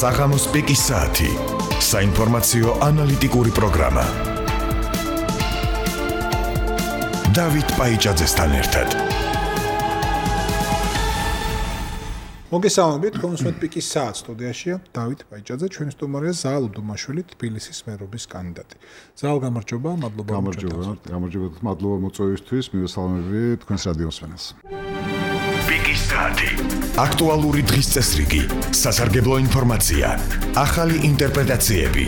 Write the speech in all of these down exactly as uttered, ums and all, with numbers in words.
საღამოს პიკის საათი. საინფორმაციო ანალიტიკური პროგრამა. დავით პაიჭაძესთან ერთად. მოგესალმებით, კონსულტ პიკის საათი სტუდიაშია დავით პაიჭაძე, ჩვენი სტუმარია ზაალ უდუმაშვილი, თბილისის მერობის კანდიდატი. ზაალ, გამარჯობა, მადლობა. გამარჯობა, გამარჯობა, მადლობა მოწვევისთვის, მივესალმები თქვენს რადიოსმენელს. პიკის საათი. აქტუალური დღის წესრიგი, სასარგებლო ინფორმაცია, ახალი ინტერპრეტაციები,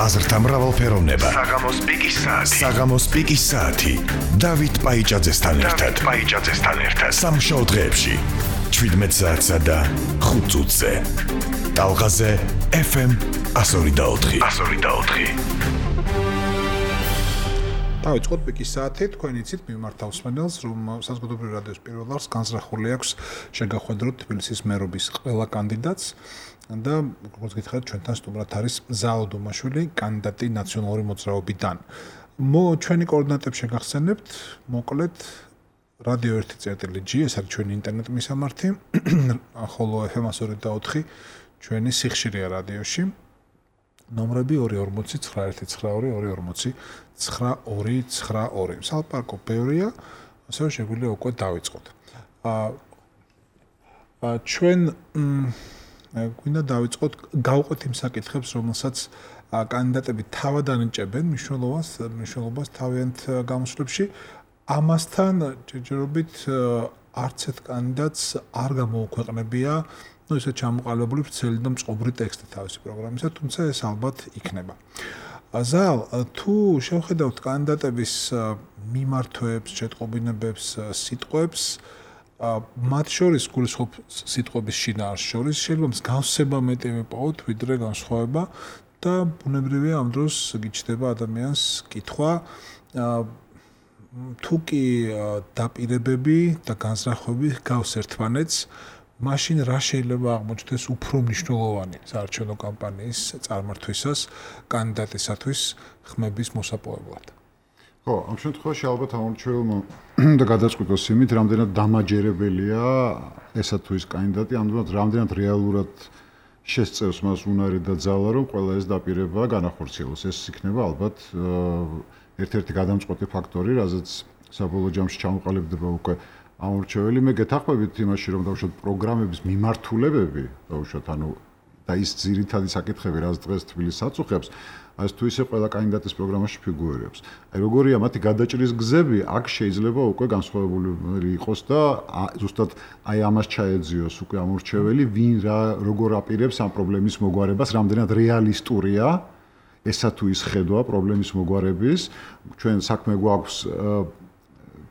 აზრთა მრავალფეროვნება. საღამოს პიკის საათი. საღამოს პიკის საათი. დავით პაიჭაძესთან ერთად. დავით პაიჭაძესთან ერთად. სამშაბათ დღეებში შვიდმეტ საათსა და ხუთ წუთზე. ტალღაზე ეფ ემ εκατო ორი და ოთხი. εκατო ორი და ოთხი. დავიწყოთ პიკის საათი, თქვენ იცით მიმართავ მსმენელს, რომ საზოგადოებრივი რადიოს პირველ არს განზრახული აქვს შეგახვედროთ თბილისის მერობის ყველა კანდიდატს და როგორც გითხარით, ჩვენთან სტუმრად არის ზაალ უდუმაშვილი, კანდიდატი ნაციონალური მოძრაობიდან. მო ჩვენი კოორდინატები შეგახსენებთ, მოკლედ რადიო ერთი წერტილი ჯი, ეს არის ჩვენი ინტერნეტ მისამართი, ხოლო ეფ ემ εκατო ორი და ოთხი ჩვენი სიხშირეა რადიოში. ნომრები ორი ორმოცი ცხრა ერთი ცხრა ორი ორი ორმოცი ცხრა ორი ცხრა ორი. სალპარკო ბევრია, ასევე შეგვიძლია უკვე დავიწყოთ. აა ჩვენ გვინდა დავიწყოთ, გავყვეთ იმ საკითხებს, რომელსაც კანდიდატები თავად ანიჭებენ მნიშვნელობას, მნიშვნელობას თავიანთ გამოსვლებში. ამასთან ჯერჯერობით არც ერთ კანდიდატს არ გამოუქვეყნებია ну ისე ჩამოყალიბებული ვრცელი და მწყობრი ტექსტი თავისი პროგრამისა, თუმცა ეს ალბათ იქნება. ზაალ, თუ შევხედავთ კანდიდატების მიმართვებს, შეტყობინებებს, სიტყვებს, მათ შორის გულისხმობ სიტყვების შინაარს შორის შეიძლება მსგავსება მეტი მიპოვოთ, ვიდრე განსხვავება და ბუნებრივია ამ დროს გიჩნდება ადამიანს კითხვა თუ კი დაპირებები და განზრახვები გავს ერთმანეთს, მაშინ რა შეიძლება აღმოჩნდეს უფრო მნიშვნელოვანი საარჩევნო კამპანიის წარმართვისას კანდიდატისათვის ხმების მოსაპოვებლად. ხო, ამ შემთხვევაში ალბათ ამორჩეულმა და გადაწყვიტოს იმით, რამდენად დამაჯერებელია ესა თუ ის კანდიდატი, ამდენად რამდენად რეალურად შესწევს მას უნარი და ძალა, რომ ყველა ეს დაპირება განახორციელოს. ეს იქნება ალბათ ერთ-ერთი გადამწყვეტი ფაქტორი, რაზეც საბოლოო ჯამში ჩამოყალიბდება უკვე ამორჩეველი. მე გეთანხმებით იმაში, რომ დავუშვათ პროგრამების მიმართულებები, დავუშვათ ანუ და ის ძირითადი საკითხები, რაც დღეს თბილისს აწუხებს, ეს თუ ისე ყველა კანდიდატის პროგრამაში ფიგურირებს. აი როგორია მათი გადაჭრის გზები, აქ შეიძლება უკვე განსხვავებული იყოს და ზუსტად აი ამას ჩაეძიოს უკვე ამორჩეველი, ვინ რა როგორ აპირებს ამ პრობლემის მოგვარებას, რამდენად რეალისტურია ესა თუ ის ხედვა პრობლემის მოგვარების. ჩვენ საქმე გვაქვს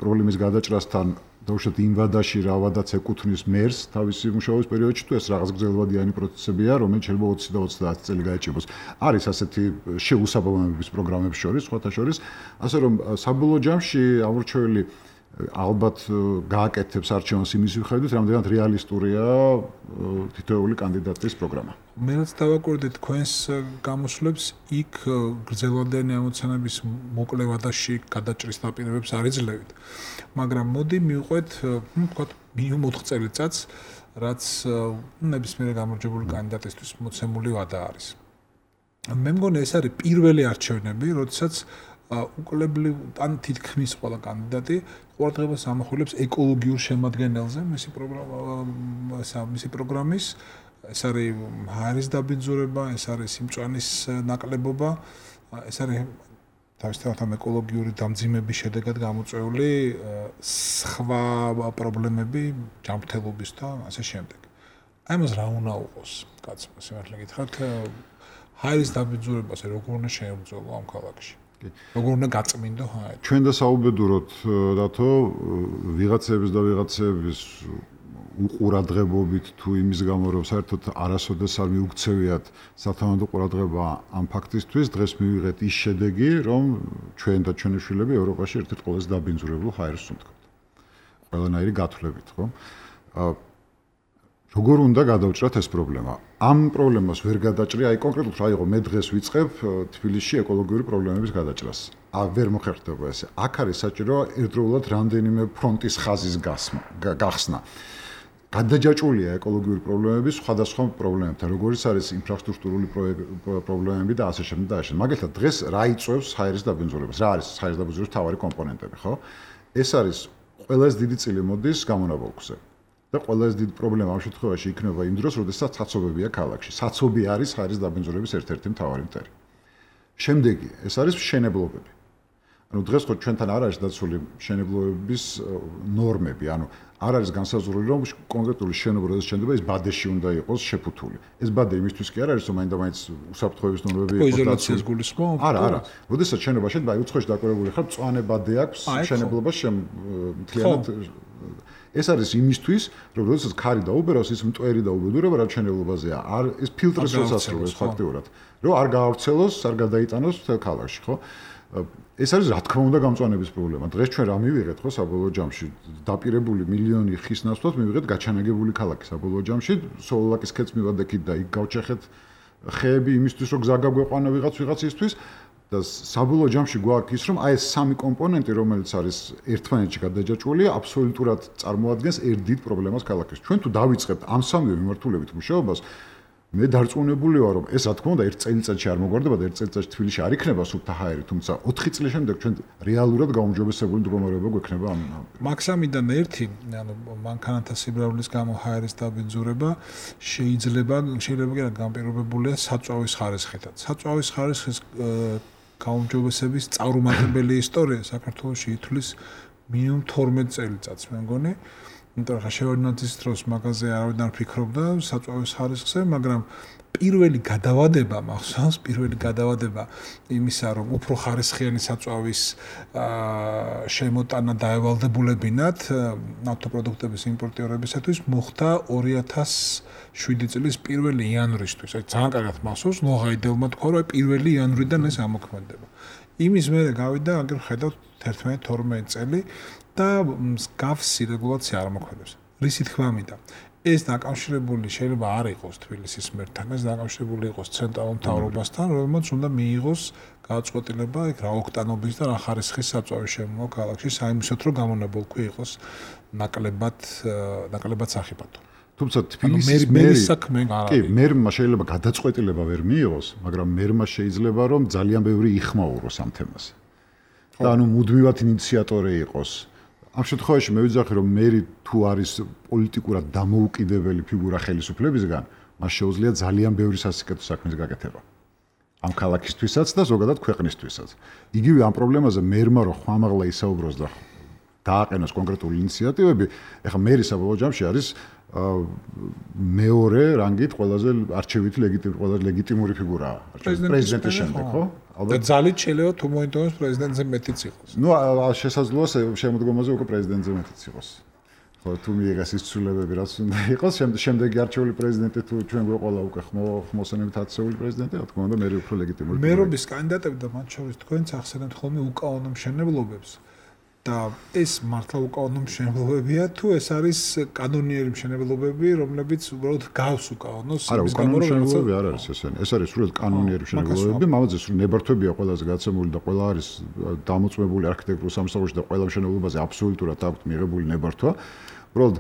პრობლემის გადაჭრასთან დავუშვათ იმ ვადაში რა ვადაც ეკუთვნის მერს თავისი მუშაობის პერიოდში, თუ ეს რაღაც გრძელვადიანი პროცესებია, რომელიც შეიძლება ოცი და ოცდაათი წელი გაიჭიროს. არის ასეთი შეუსაბამობების პროგრამების შორის, სხვათა შორის, ასე რომ საბოლოო ჯამში ამორჩეველი ალბათ გააკეთებს არჩევანს იმის მიხედვით, რამდენად რეალისტურია თითოეული კანდიდატის პროგრამა. მე რაც დავაკვირდით თქვენს გამოსვლებს, იქ გრძელვადიანი ამოცანების მოკლე ვადაში გადაჭრის დაპირებებს არ იძლევით. მაგრამ მოდი მივყვეთ, ну, ვთქვათ, მინიმუმ ოთხ წელიწადს, რაც ნებისმიერ გამარჯვებული კანდიდატისთვის მოცემული ვადა არის. მე მგონი ეს არის პირველი არჩევნები, როდესაც უკლებლივ ან თითქმის ყველა კანდიდატი ყურადღებას ამახვილებს ეკოლოგიურ შემადგენელზე მისი პროგრამა, მისი პროგრამის, ეს არის ჰაერის დაბინძურება, ეს არის სიმწვანის ნაკლებობა, ეს არის თავისთავად ამ ეკოლოგიური დამძიმების შედეგად გამოწვეული სხვა პრობლემები, ჯანმრთელობის და ასე შემდეგ. აი მას რა უნდა უყოს, კაცო, სიმართლე გითხრათ, ჰაერის დაბინძურებას როგორ უნდა შეებრძოლო ამ ქალაქში? როგორ უნდა გაწმინდო ჰაერი? ჩვენ და საუბედუროთ რათო ვიღაცების და ვიღაცების უყურადღებობით თუ იმის გამო რომ საერთოდ არასოდეს არ მიუქცევიათ სათანადო ყურადღება ამ ფაქტისთვის, დღეს მივიღეთ ის შედეგი, რომ ჩვენ და ჩვენი შვილები ევროპაში ერთ-ერთ ყველაზე დაბინძურებულ ჰაერს უნდათ. ყველანაირი გათვლებით, ხო? როგორ უნდა გადავჭრათ ეს პრობლემა? ამ პრობლემას ვერ გადაჭრი, აი კონკრეტულად რა იყო, მე დღეს ვიწყებ თბილისში ეკოლოგიური პრობლემების გადაჭრას. ა ვერ მოხერხდება ესე. აქ არის საჭირო ერთდროულად რამდენიმე ფრონტის ხაზის გახსნა. გადაჯაჭვულია ეკოლოგიური პრობლემები სხვადასხვა პრობლემებთან, როგორც არის ინფრასტრუქტურული პრობლემები და ასე შემდეგ და ასე. მაგალითად, დღეს რა იწვევს ჰაერის დაბინძურებას? რა არის ჰაერის დაბინძურების მთავარი კომპონენტები, ხო? ეს არის ყველაზე დიდი წილი მოდის გამონაბოლქვზე. და ყველაზე დიდი პრობლემა ამ შემთხვევაში იქნება იმ დროს, როდესაც საცობებია ქალაქში. საცობი არის ჰაერის დაბინძურების ერთ-ერთი მთავარი მტერი. შემდეგი, ეს არის მშენებლობები. ანუ დღეს ხო ჩვენთან არ არის დაცული მშენებლობების ნორმები, ანუ არ არის განსაზღვრული, რომ კონკრეტული შენობა როდესაც შენდება, ეს ბადეში უნდა იყოს შეფუთული. ეს ბადე იმისთვის კი არ არის, რომ მაინდა-მაინც უსაფრთხოების ნორმები იყოს დაცული. იზოლაციას გულისხმობ? არა, არა. როდესაც შენობა შედგება, აი უცხოში დაკვირვებული ხარ, მწვანე ბადე აქვს შენებლობას მთლიანად. ეს არის იმისთვის, რომ როდესაც ქარი დაუბერავს, ის მტვერი დაუბედურება რა შენებლობაზეა. არ ეს ფილტრს როასრულებს ფაქტიურად. რომ არ გაავრცელოს, არ გადაიტანოს მთელ ქალაქში, ხო? ეს არის რა თქმა უნდა გამწვანების პრობლემა. დღეს ჩვენ რა მივიღეთ ხო საბოლოო ჯამში? დაპირებული მილიონი ხის ნაცვლად მივიღეთ გაჩანაგებული ქალაქი საბოლოო ჯამში. სოლოლაკის ქედს მივადექით და იქ გავჩეხეთ ხეები იმისთვის, რომ გზა გაგვეყვანა ვიღაც ვიღაცისთვის და საბოლოო ჯამში გვაქვს ის, რომ აი ეს სამი კომპონენტი, რომელიც არის ერთმანეთში გადაჯაჭვული, აბსოლუტურად წარმოადგენს ერთ დიდ პრობლემას ქალაქის. ჩვენ თუ დავიწყებთ ამ სამივე მიმართულებით მუშაობას, მე დარწმუნებული ვარ, რომ ეს რა თქმა უნდა ერთ წელიწადში არ მოგვარდება და ერთ წელიწადში თბილისში არ იქნება სუფთა ჰაერი, თუმცა ოთხი წლის შემდეგ ჩვენ რეალურად გაუმჯობესებული მდგომარეობა გვექნება ამ. მაქსიმიდან ერთი, ანუ მანქანათა სიბრავის გამო ჰაერის დაბინძურება შეიძლება შეიძლება კი განპირობებულია საწვავის ხარისხითაც. საწვავის ხარისხის გაუმჯობესების წარუმატებელი ისტორია საქართველოში ითვლის მინიმუმ თორმეტ წელიწადს, მე მგონი. იმიტომ რომ შევარდნაძის დროს მაგაზე არავინ არ ფიქრობდა საწვავის ხარისხზე, მაგრამ პირველი გადავადება მახსოვს, პირველი გადავადება იმისა, რომ უფრო ხარისხიანი საწვავის შემოტანა დაევალდებულებინათ ნავთობპროდუქტების იმპორტიორებისათვის მოხდა ორი ათას შვიდი წლის პირველი იანვრისთვის. აი ძალიან კარგად მახსოვს, ნოღაიდებმა თქვა, რომ პირველი იანვრიდან ეს ამოქმედება. იმის მერე გავიდა, აგერ ხედავთ ერთმანეთს თორმეტ წელი და მსგავსი რეგულაცია არ მოქმედებს. რისი თქმა მინდა? ეს დაკავშირებული შეიძლება არ იყოს თბილისის მერთან, ეს დაკავშირებული იყოს ცენტრალურ მთავრობასთან, რომელმაც უნდა მიიღოს გადაწყვეტილება იქ რა ოქტანობის და რა ხარისხის საწვავის შემოვა ქალაქში, საიმისოთ რომ გამონაბოლქვი იყოს ნაკლებად ნაკლებად სახიფათო. თუმცა თბილისის მერის საქმე არ არის. კი, მერმა შეიძლება გადაწყვეტილება ვერ მიიღოს, მაგრამ მერმა შეიძლება რომ ძალიან ბევრი იხმაუროს ამ თემაზე. და ანუ მუდმივად ინიციატორი იყოს. ამ შემთხვევაში მე ვიძახი რომ მერი თუ არის პოლიტიკურად დამოუკიდებელი ფიგურა ხელისუფლებისგან, მას შეუძლია ძალიან ბევრი სასიკეთო საქმის გაკეთება. ამ ქალაქისთვისაც და ზოგადად ქვეყნისთვისაც. იგივე ამ პრობლემაზე მერმა რო ხმამაღლა ისაუბროს და დააყენოს კონკრეტული ინიციატივები, ეხლა მერი საბოლოო ჯამში არის მეორე რანგით ყველაზე არჩევითი ლეგიტიმური ყველაზე ლეგიტიმური ფიგურაა პრეზიდენტის შემდეგ, ხო? ალბათ ძალით შეიძლება თუ მოინდომოს პრეზიდენტზე მეტიც იყოს. ნუ შესაძლოა შემოდგომაზე უკვე პრეზიდენტზე მეტიც იყოს. ხო, თუ მიიღეს ის ცვლილებები, რაც უნდა იყოს, შემდეგი არჩეული პრეზიდენტი თუ ჩვენ გვეყოლა უკვე ხმოსანებით ათასეული პრეზიდენტი, რა თქმა უნდა, მე უფრო ლეგიტიმური. მერობის კანდიდატები და მათ შორის თქვენც ახსენებთ ხოლმე უკანონო მშენებლობებს. და ეს მართლა უკანონო მშენებლობებია თუ ეს არის კანონიერი მშენებლობები, რომლებიც უბრალოდ გავს უკანონოს იმის გამო რომ მშენებლობები არ არის ესენი. ეს არის სრულად კანონიერი მშენებლობები, მამაძე სრულ ნებართვებია ყველაზე გაცემული და ყველა არის დამოწმებული არქიტექტურულ სამსახურში და ყველა მშენებლობაზე აბსოლუტურად აქვს მიღებული ნებართვა. უბრალოდ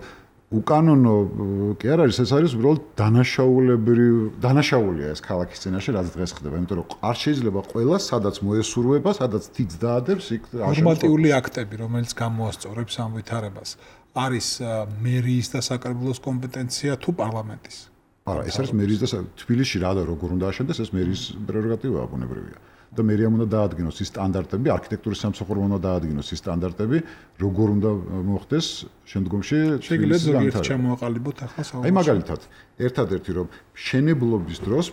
უკანონო კი არ არის, ეს არის უბრალოდ დანაშაულებრივი დანაშაულია ეს ქალაქის წინაშე, რაც დღეს ხდება, იმიტომ რომ არ შეიძლება ყველა სადაც მოესურვება, სადაც თიც დაადებს, იქ ნორმატიული აქტები, რომელიც გამოასწორებს ამ ვითარებას, არის მერიის და საკრებულოს კომპეტენცია თუ პარლამენტის? არა, ეს არის მერიის და თბილისში რა და როგორ უნდა აშენდეს, ეს მერიის პრეროგატივაა, ბუნებრივია. და მერიამ უნდა დაადგინოს ის სტანდარტები, არქიტექტურის სამსახურმა უნდა დაადგინოს ის სტანდარტები, როგორ უნდა მოხდეს შემდგომში თბილისის განვითარება. შემოაყალიბოთ ახლა საუბარი. აი მაგალითად, ერთადერთი რომ მშენებლობის დროს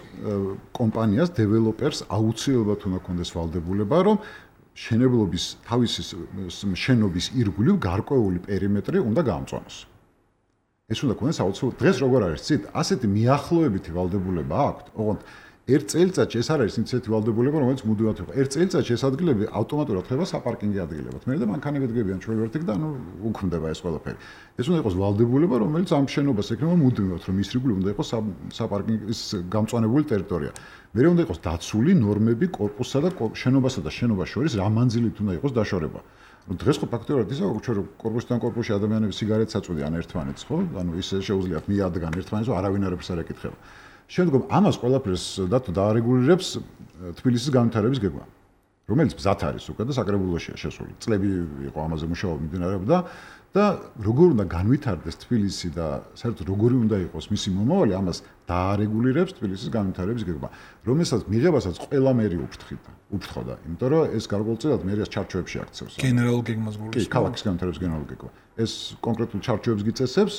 კომპანიას, დეველოპერს აუცილებლად უნდა კონდეს ვალდებულება, რომ მშენებლობის თავისი შენობის ირგვლივ გარკვეული პერიმეტრი უნდა გაამწვანოს. ეს უნდა კონდეს აუცილებლად. დღეს როგორ არის ცით, ასეთი მიახლოებითი ვალდებულება აქვს, ოღონდ ერთ წელიწადში ეს არ არის ინიციატივა ვალდებულება, რომელიც მუდმივად იყო. ერთ წელიწადში ეს ადგილები ავტომატურად ხდება საპარკინგი ადგილებად. მე და მანქანები დგებიან ჩვენ ვერტიკ და ანუ უქმდება ეს ყველაფერი. ეს უნდა იყოს ვალდებულება, რომელიც ამ შენობას ექნება მუდმივად, რომ ის რიგული უნდა იყოს საპარკინგის გამწვანებული ტერიტორია. მე უნდა იყოს დაცული ნორმები კორპუსსა და შენობასა და შენობას შორის რა მანძილით უნდა იყოს დაშორება. ну დღეს ხო ფაქტობრივად ისა ჩვენ კორპუსიდან კორპუსში ადამიანები სიგარეტს აწვდიან ერთმანეთს ხო ანუ ისე შეუძლიათ მიადგან ერთმანეთს რომ არავინ არ ეკითხება შემდგომ ამას ყველაფერს დათო დაარეგულირებს თბილისის განვითარების გეგმა რომელიც ბზათ არის უკვე და საკრებულოშია შესული წლები იყო ამაზე მუშაობა მიმდინარეობდა და როგორ უნდა განვითარდეს თბილისი და საერთოდ როგორი უნდა იყოს მისი მომავალი ამას დაარეგულირებს თბილისის განვითარების გეგმა რომელსაც მიღებასაც ყველა მერი უფრთხიდა უფრთხოდა იმიტომ რომ ეს გარკვეულწილად მერიას ჩარჩოებში აქცევს გენერალურ გეგმას გულისხმობს კი ქალაქის განვითარების გენერალური გეგმა ეს კონკრეტულ ჩარჩოებს გიწესებს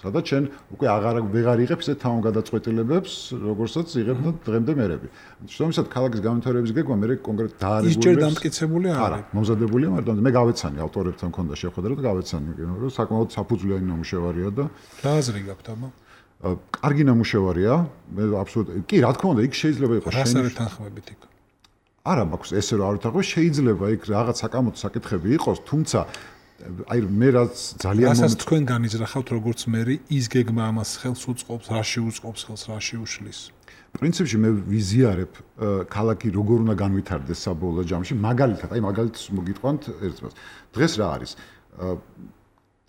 სადაც შენ უკვე აღარ ვეღარ იღებ ისეთ თავგადაწყვეტილებებს როგორცაც იღებდა დღემდე მერები შესაბამისად ქალაქის განვითარების გეგმა მე კონკრეტ დაარეგულირებს ის ჯერ დამტკიცებული არ არის მომზადებულია მაგრამ მე გავეცანი ავტორებთან მქონდა შეხვედრა და გავეცანი რომ საკმაოდ საფუძვლიანი ნამუშევარია და რა აზრი გაქვთ აბა კარგი ნამუშევარია მე აბსოლუტურად კი რა თქმა უნდა იქ შეიძლება იყოს შენი რას არის თანხმებით იქ არა მაქვს ესე რა არ უთანხმო შეიძლება იქ რაღაც საკამოთო საკითხები იყოს თუმცა აი მე რაც ძალიან რასაც თქვენ განიზრახავთ როგორც მერი ის გეგმა ამას ხელს უწყობს რაში უწყობს ხელს რაში უშლის პრინციპში მე ვიზიარებ ქალაქი როგორ უნდა განვითარდეს საბოლოო ჯამში მაგალითად აი მაგალითს მოგიტყვანთ ერთს დღეს რა არის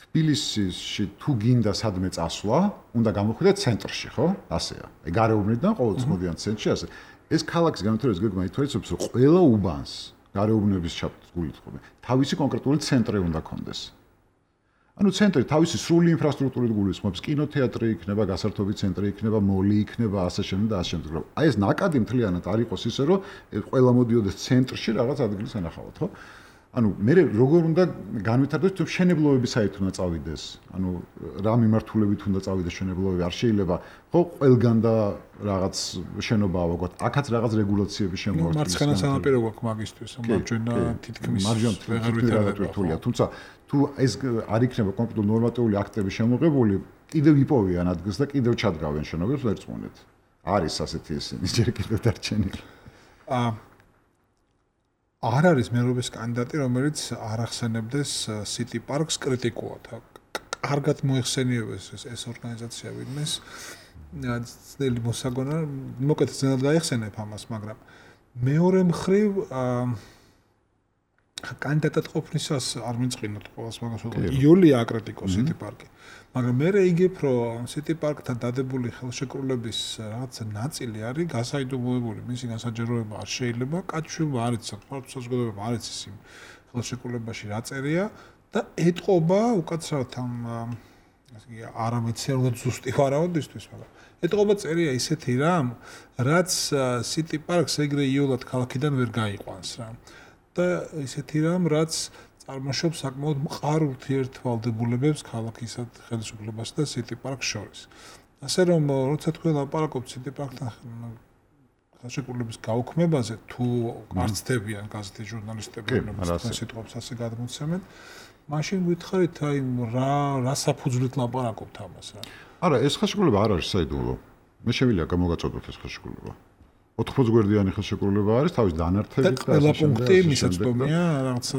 თბილისში თუ გინდა სადმე წასვლა უნდა გამოხვიდე ცენტრში ხო ასეა აი გარეუბნიდან ყოველწლიან ცენტრში ასე ეს ქალაქის განვითარების გეგმა ითვალისწინებს რომ ყველა უბანს გარეუბნების ჩაბმულით ხოლმე თავისი კონკრეტული ცენტრი უნდა კონდეს. ანუ ცენტრი თავისი სრული ინფრასტრუქტურით გულისხმობს, კინოთეატრი იქნება, გასართობი ცენტრი იქნება, მოლი იქნება, ასე შემდეგ და ასე შემდეგ. აი ეს ნაკადი მთლიანად არ იყოს ისე რომ ყველა მოდიოდეს ცენტრში რაღაც ადგილის ენახავათ, ხო? ანუ მე როგორ უნდა განვითარდეს თუ შენებლოების საით უნდა წავიდეს. ანუ რა მიმართულებით უნდა წავიდეს შენებლოები, არ შეიძლება ხო ყველგან და რაღაც შენობა ავაგოთ. აქაც რაღაც რეგულაციები შემოგვაქვს. მარცხენა სანაპირო გვაქვს მაგისტვის, მარჯვენა თითქმის ვეღარ ვითარდება. თუმცა თუ ეს არ იქნება კონკრეტულ ნორმატიული აქტები შემოღებული, კიდევ იპოვიან ადგილს და კიდევ ჩადგავენ შენობებს ერთმანეთ. არის ასეთი ისინი ჯერ კიდევ დარჩენილი. აა არ არის მერობის კანდიდატი, რომელიც არ ახსენებდეს City Parks კრიტიკულად. კარგად მოიხსენიებეს ეს ეს ორგანიზაცია ვინმეს. ძნელი მოსაგონა, მოკეთ ძნელად გაიხსენებ ამას, მაგრამ მეორე მხრივ კანდიდატად ყოფნისას არ მიწინოთ ყოველს მაგას ვთქვი. იულია აკრიტიკო City Park-ი. მაგრამ მე რეიგებ, რომ City Park-თან დადებული ხელშეკრულების რაღაც ნაწილი არის გასაიდუმლოებული. მისი განსაჯაროება არ შეიძლება, კაცშვილმა არ იცის, საზოგადოებამ არ იცის იმ ხელშეკრულებაში რა წერია და ეტყობა უკაცრავად ამ ასე იგი არამეცერულად ზუსტი ვარაუდისთვის, მაგრამ ეტყობა წერია ისეთი რამ, რაც City Park-ს ეგრე იოლად ქალაქიდან ვერ გაიყვანს რა. და ისეთი რამ, რაც წარმოშობს საკმაოდ მყარ ურთიერთვალდებულებებს ქალაქისა ხელისუფლებას და City Park-ს შორის. ასე რომ, როცა თქვენ ლაპარაკობთ City Park-თან ხელშეკრულების გაუქმებაზე, თუ არ ცდებიან გაზეთის ჟურნალისტები, რომლებიც სიტყვებს ასე გადმოცემენ, მაშინ გითხარით, აი რა რა საფუძვლით ლაპარაკობთ ამას რა. არა, ეს ხელშეკრულება არ არის საიდუმლო. მე შევილია გამოგაწოდოთ ეს ხელშეკრულება. ოთხმოცი გვერდიანი ხელშეკრულება არის, თავის დანართებით და ყველა პუნქტი მისაწვდომია, რაღაცა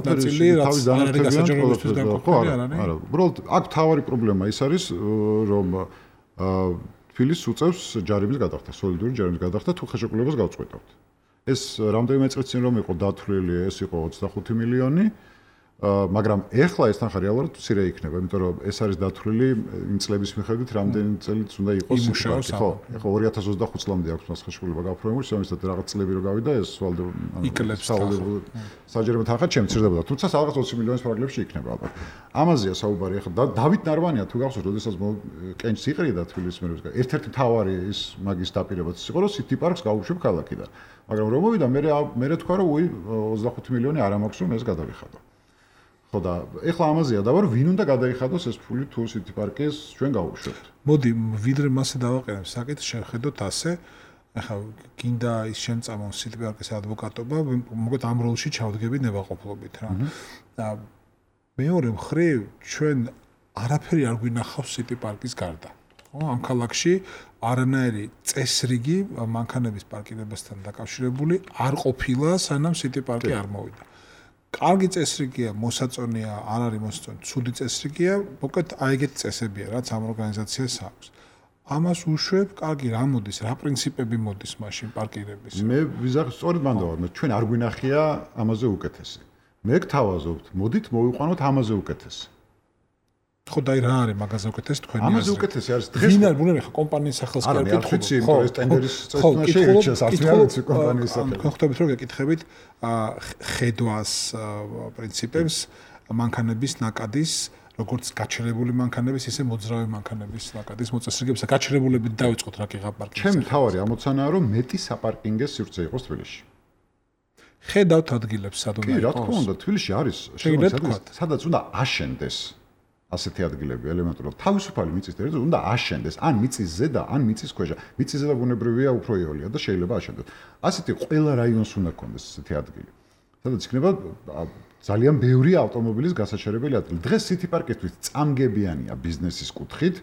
ნაწილი, რაც არ არის გასაჯაროებისთვის განყოფილი, არ არის? არა, უბრალოდ აქ თავარი პრობლემა ის არის, რომ თბილისს უწევს ჯარების გადახდა, სოლიდური ჯარების გადახდა, თუ ხელშეკრულებას გავწყვეტავთ. ეს რამდენიმე წელი წინ რომ იყო დათვლილი, ეს იყო ოცდახუთი მილიონი. მაგრამ ეხლა ეს თანხა რეალურად მცირე იქნება, იმიტომ რომ ეს არის დათვლილი იმ წლების მიხედვით, რამდენი წელიც უნდა იყოს იმუშაოს, ხო? ეხლა ორი ათას ოცდახუთ წლამდე აქვს მას ხელშეკრულება გაფორმებული, შემიძლია რაღაც წლები რო გავიდა, ეს ვალდებ იკლებს საჯარო თანხა შემცირდებოდა, თუმცა რაღაც ოცი მილიონის ფარგლებში იქნება ალბათ. ამაზეა საუბარი. ეხლა დავით ნარვანია თუ გახსოვს, როდესაც კენჭს იყრიდა თბილისის მერვისგან, ერთ-ერთი თავარი ის მაგის დაპირებაც იყო, რომ City Park-ს გაუშვებ ქალაქიდან. მაგრამ რომ მოვიდა, მე მე თქვა, რომ უი ოცდახუთი მილიონი არ მაქვს, რომ ეს გადავიხადო. ხო და ეხლა ამაზეა და ვარ ვინ უნდა გადაიხადოს ეს ფული თუ City Park-ს ჩვენ გავუშვებთ. მოდი ვიდრე მასე დავაყენებ საკითხს შევხედოთ ასე. ეხლა გინდა ის შემწამონ City Park-ის ადვოკატობა, მოგეთ ამ როლში ჩავდგები ნებაყოფლობით რა. და მეორე მხრივ ჩვენ არაფერი არ გვინახავს City Park-ის გარდა. ხო, ამ ქალაქში არანაირი წესრიგი მანქანების პარკირებასთან დაკავშირებული არ ყოფილა, სანამ City Park-ი არ მოვიდა. კარგი წესრიგია, მოსაწონია, არ არის მოსაწონი, ცუდი წესრიგია, მოკლედ აი ეგეთი წესებია, რაც ამ ორგანიზაციას აქვს. ამას უშვებ, კარგი რა მოდის, რა პრინციპები მოდის მაშინ პარკირების. მე ვიზახ სწორედ მანდავარ, ჩვენ არ გვინახია ამაზე უკეთესი. მე გთავაზობთ, მოდით მოვიყვანოთ ამაზე უკეთეს. ხო და რა არის მაგაზე უკეთეს თქვენი აზრით? ამაზე უკეთესი არის დღეს. ვინ არის, ბუნებრივია კომპანიის სახელს კი არ კითხულობ. ხო, ეს ტენდერის წესთვაში ირჩევს არც კომპანიის სახელს. ხო, ხვდებით რომ გეკითხებით ხედვას პრინციპებს მანქანების ნაკადის როგორც გაჩერებული მანქანების, ისე მოძრავი მანქანების ნაკადის მოწესრიგებისა. გაჩერებულებით დავიწყოთ რა კიღა პარკინგზე. ჩემი თავარი ამოცანაა რომ მეტი საპარკინგო სივრცე იყოს თბილისში. ხედავთ ადგილებს სად უნდა იყოს? კი, რა თქმა უნდა, თბილისში არის შეიძლება სადაც უნდა აშენდეს ასეთი ადგილები ელემენტურად. თავისუფალი მიწის ტერიტორია უნდა აშენდეს, ან მიწის ზედა, ან მიწის ქვეშ. მიწის ზედა ბუნებრივია უფრო იოლია და შეიძლება აშენდეს. ასეთი ყველა რაიონს უნდა კონდეს ასეთი ადგილი. სადაც იქნება ძალიან ბევრი ავტომობილის გასაჩერებელი ადგილი. დღეს City Park-ისთვის წამგებიანია ბიზნესის კუთხით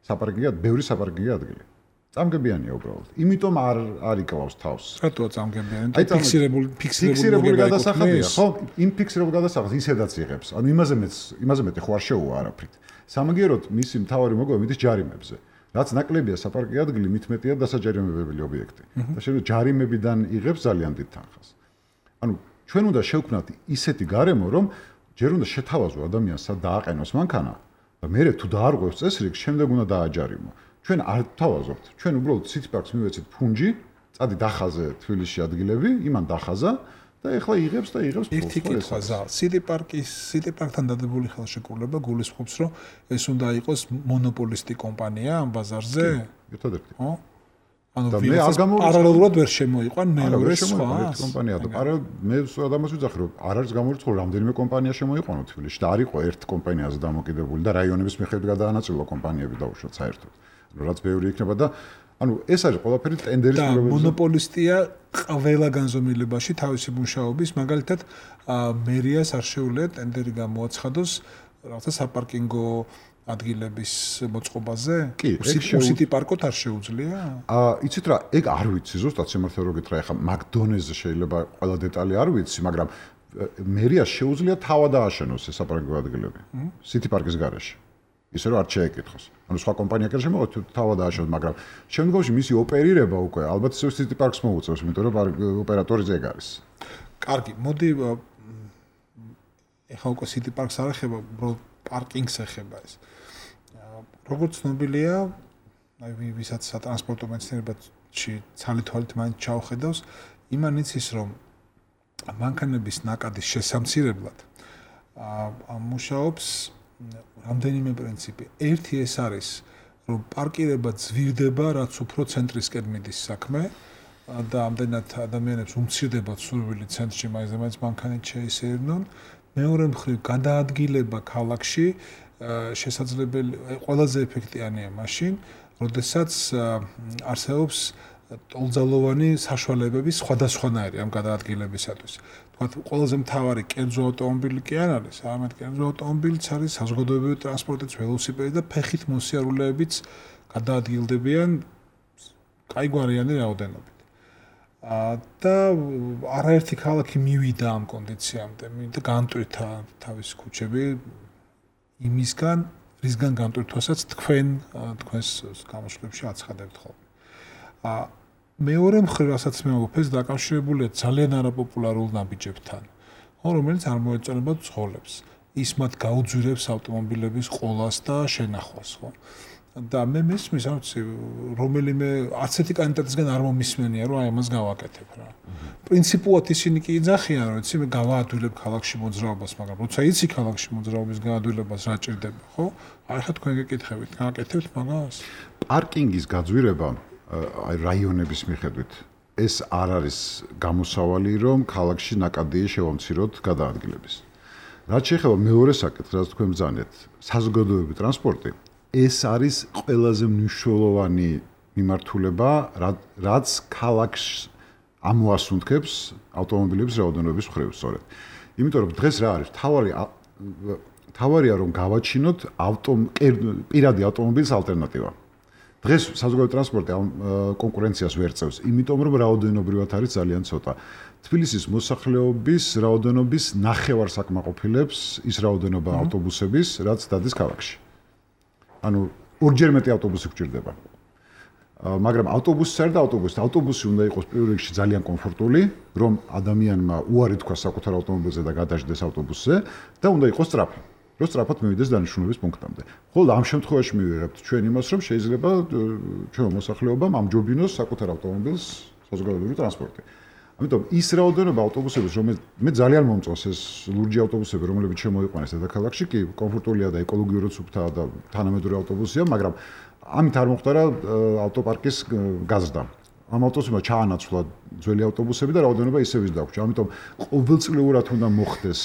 საპარკინგო, ბევრი საპარკინგო ადგილი. წამგებიანია უბრალოდ. იმიტომ არ არ იკლავს თავს. რატოა წამგებიანი? ფიქსირებული ფიქსირებული გადასახადია, ხო? იმ ფიქსირებულ გადასახადს ისედაც იღებს. ანუ იმაზე მეც იმაზე მეტი ხო არ შეუვა არაფრით. სამაგიეროდ მისი მთავარი მოგება მიდის ჯარიმებზე. რაც ნაკლებია საპარკინგო ადგილი, მით მეტია დასაჯარიმებელი ობიექტი. და შეიძლება ჯარიმებიდან იღებს ძალიან დიდ თანხას. ანუ ჩვენ უნდა შევქმნათ ისეთი გარემო, რომ ჯერ უნდა შეთავაზო ადამიანს სად დააყენოს მანქანა და მერე თუ დაარღვევს წესრიგს, შემდეგ უნდა დააჯარიმო. ჩვენ არ თავაზობთ. ჩვენ უბრალოდ City Park-ს მივეცეთ ფუნჯი, წადი დახაზე თბილისში ადგილები, იმან დახაზა და ეხლა იღებს და იღებს ფულს. ერთი კითხვაზე, City Park-ის, City Park-თან დადებული ხელშეკრულება გულისხმობს, რომ ეს უნდა იყოს მონოპოლისტი კომპანია ამ ბაზარზე? ერთადერთი. ხო? ანუ პარალელურად ვერ შემოიყვან მეორე სხვა კომპანია და პარალელ მე სწორად ამას ვიძახი რომ არ არის გამორიცხული რამდენიმე კომპანია შემოიყვანო თბილისში და არ იყო ერთ კომპანიაზე დამოკიდებული და რაიონების მიხედვით გადაანაწილა კომპანიები დაუშვათ საერთოდ. ანუ რაც ბევრი იქნება და ანუ ეს არის ყველაფერი ტენდერის პრობლემები. და მონოპოლისტია ყველა განზომილებაში თავისი მუშაობის, მაგალითად მერიას არ შეუძლია ტენდერი გამოაცხადოს რაღაცა საპარკინგო ადგილების მოწყობაზე? კი, City Park-ოთ არ შეუძლია? აა, იცით რა, ეგ არ ვიცი, ზუსტად სიმართლე რო გითხრა, ეხლა McDonald's-ზე შეიძლება ყველა დეტალი არ ვიცი, მაგრამ მერიას შეუძლია თავად ააშენოს ეს საპარკინგო ადგილები City Park-ის გარეშე. ისე რომ არ შეეკითხოს. ანუ სხვა კომპანია კი არ შემოგვიყვანს თავად ააშენოს, მაგრამ შემდგომში მისი ოპერირება უკვე ალბათ ისე City Park-ს მოუწევს, იმიტომ რომ ოპერატორი ეგ არის. კარგი, მოდი ეხლა უკვე City Park-ს არ ეხება, უბრალოდ პარკინგს ეხება ეს. როგორც ცნობილია, აი ვისაც სატრანსპორტო მეცნიერებაში ცალი თვალით მაინც ჩაუხედავს, იმან იცის, რომ მანქანების ნაკადის შესამცირებლად აა მუშაობს რამდენიმე პრინციპი. ერთი ეს არის, რომ პარკირება ძვირდება, რაც უფრო ცენტრისკენ მიდის საქმე და ამდენად ადამიანებს უმცირდება სურვილი ცენტრში მაინც მანქანით შეისეირნონ. მეორე მხრივ გადაადგილება ქალაქში შესაძლებელი ყველაზე ეფექტიანია მაშინ, როდესაც არსებობს ტოლძალოვანი საშუალებები სხვადასხვანაირი ამ გადაადგილებისათვის. თქვათ, ყველაზე მთავარი კერძო ავტომობილი კი არ არის, არამედ კერძო ავტომობილიც არის საზოგადოებრივი ტრანსპორტიც, ველოსიპედი და ფეხით მოსიარულეებიც გადაადგილდებიან კაიგვარიანი რაოდენობით. და არაერთი ქალაქი მივიდა ამ კონდიციამდე, და განტვირთა თავის ქუჩები იმისგან, რისგან განტვირთვასაც თქვენ თქვენს გამოშვებში აცხადებთ ხოლმე. მეორე მხრივ, რასაც მე ვფეს, დაკავშირებულია ძალიან არაპოპულარულ ნაბიჯებთან, რომელიც არ მოეწონება ცხოველებს. ის მათ გაუძვირებს ავტომობილების ყოლას და შენახვას, ხო? და მე მესმის, არ ვიცი, რომელიმე ასეთი კანდიდატისგან არ მომისმენია, რომ აი ამას გავაკეთებ რა. პრინციპულად ისინი კი იძახიან, რომ იცი მე გავაადვილებ ქალაქში მოძრაობას, მაგრამ როცა იცი ქალაქში მოძრაობის გაადვილებას რა ჭირდება, ხო? აი ხა თქვენ გეკითხებით, გააკეთებთ მაგას? პარკინგის გაძვირება აი რაიონების მიხედვით ეს არ არის გამოსავალი, რომ ქალაქში ნაკადია შევამციროთ გადაადგილების. რაც შეეხება მეორე საკითხს, რაც თქვენ ბრძანეთ, საზოგადოებრივი ტრანსპორტი ეს არის ყველაზე მნიშვნელოვანი მიმართულება, რაც ქალაქს ამოასუნთქებს ავტომობილების რაოდენობის მხრივ, სწორედ. იმიტომ რომ დღეს რა არის, თავარი თავარია რომ გავაჩინოთ პირადი ავტომობილის ალტერნატივა. დღეს საზოგადოებრივი ტრანსპორტი კონკურენციას ვერ წევს, იმიტომ რომ რაოდენობრივად არის ძალიან ცოტა. თბილისის მოსახლეობის რაოდენობის ნახევარს აკმაყოფილებს ის რაოდენობა ავტობუსების, რაც დადის ქალაქში. ანუ ორჯერ მეტი ავტობუსი გვჭირდება. მაგრამ ავტობუსი არ და ავტობუსი, ავტობუსი უნდა იყოს პირველ რიგში ძალიან კომფორტული, რომ ადამიანმა უარი თქვა საკუთარ ავტომობილზე და გადაждდეს ავტობუსზე და უნდა იყოს სწრაფი. რომ სწრაფად მივიდეს დანიშნულების პუნქტამდე. ხოლო ამ შემთხვევაში მივიღებთ ჩვენ იმას, რომ შეიძლება ჩვენ მოსახლეობამ ამჯობინოს საკუთარ ავტომობილს საზოგადოებრივი ტრანსპორტი. ამიტომ ის რაოდენობა ავტობუსების, რომელიც მე ძალიან მომწონს ეს ლურჯი ავტობუსები, რომლებიც შემოიყვანეს დედაქალაქში, კი კომფორტულია და ეკოლოგიურად სუფთაა და თანამედროვე ავტობუსია, მაგრამ ამით არ მოხდარა ავტოპარკის გაზრდა. ამ ავტობუსებმა ჩაანაცვლა ძველი ავტობუსები და რაოდენობა ისევ ის დაგვრჩა. ამიტომ ყოველწლიურად უნდა მოხდეს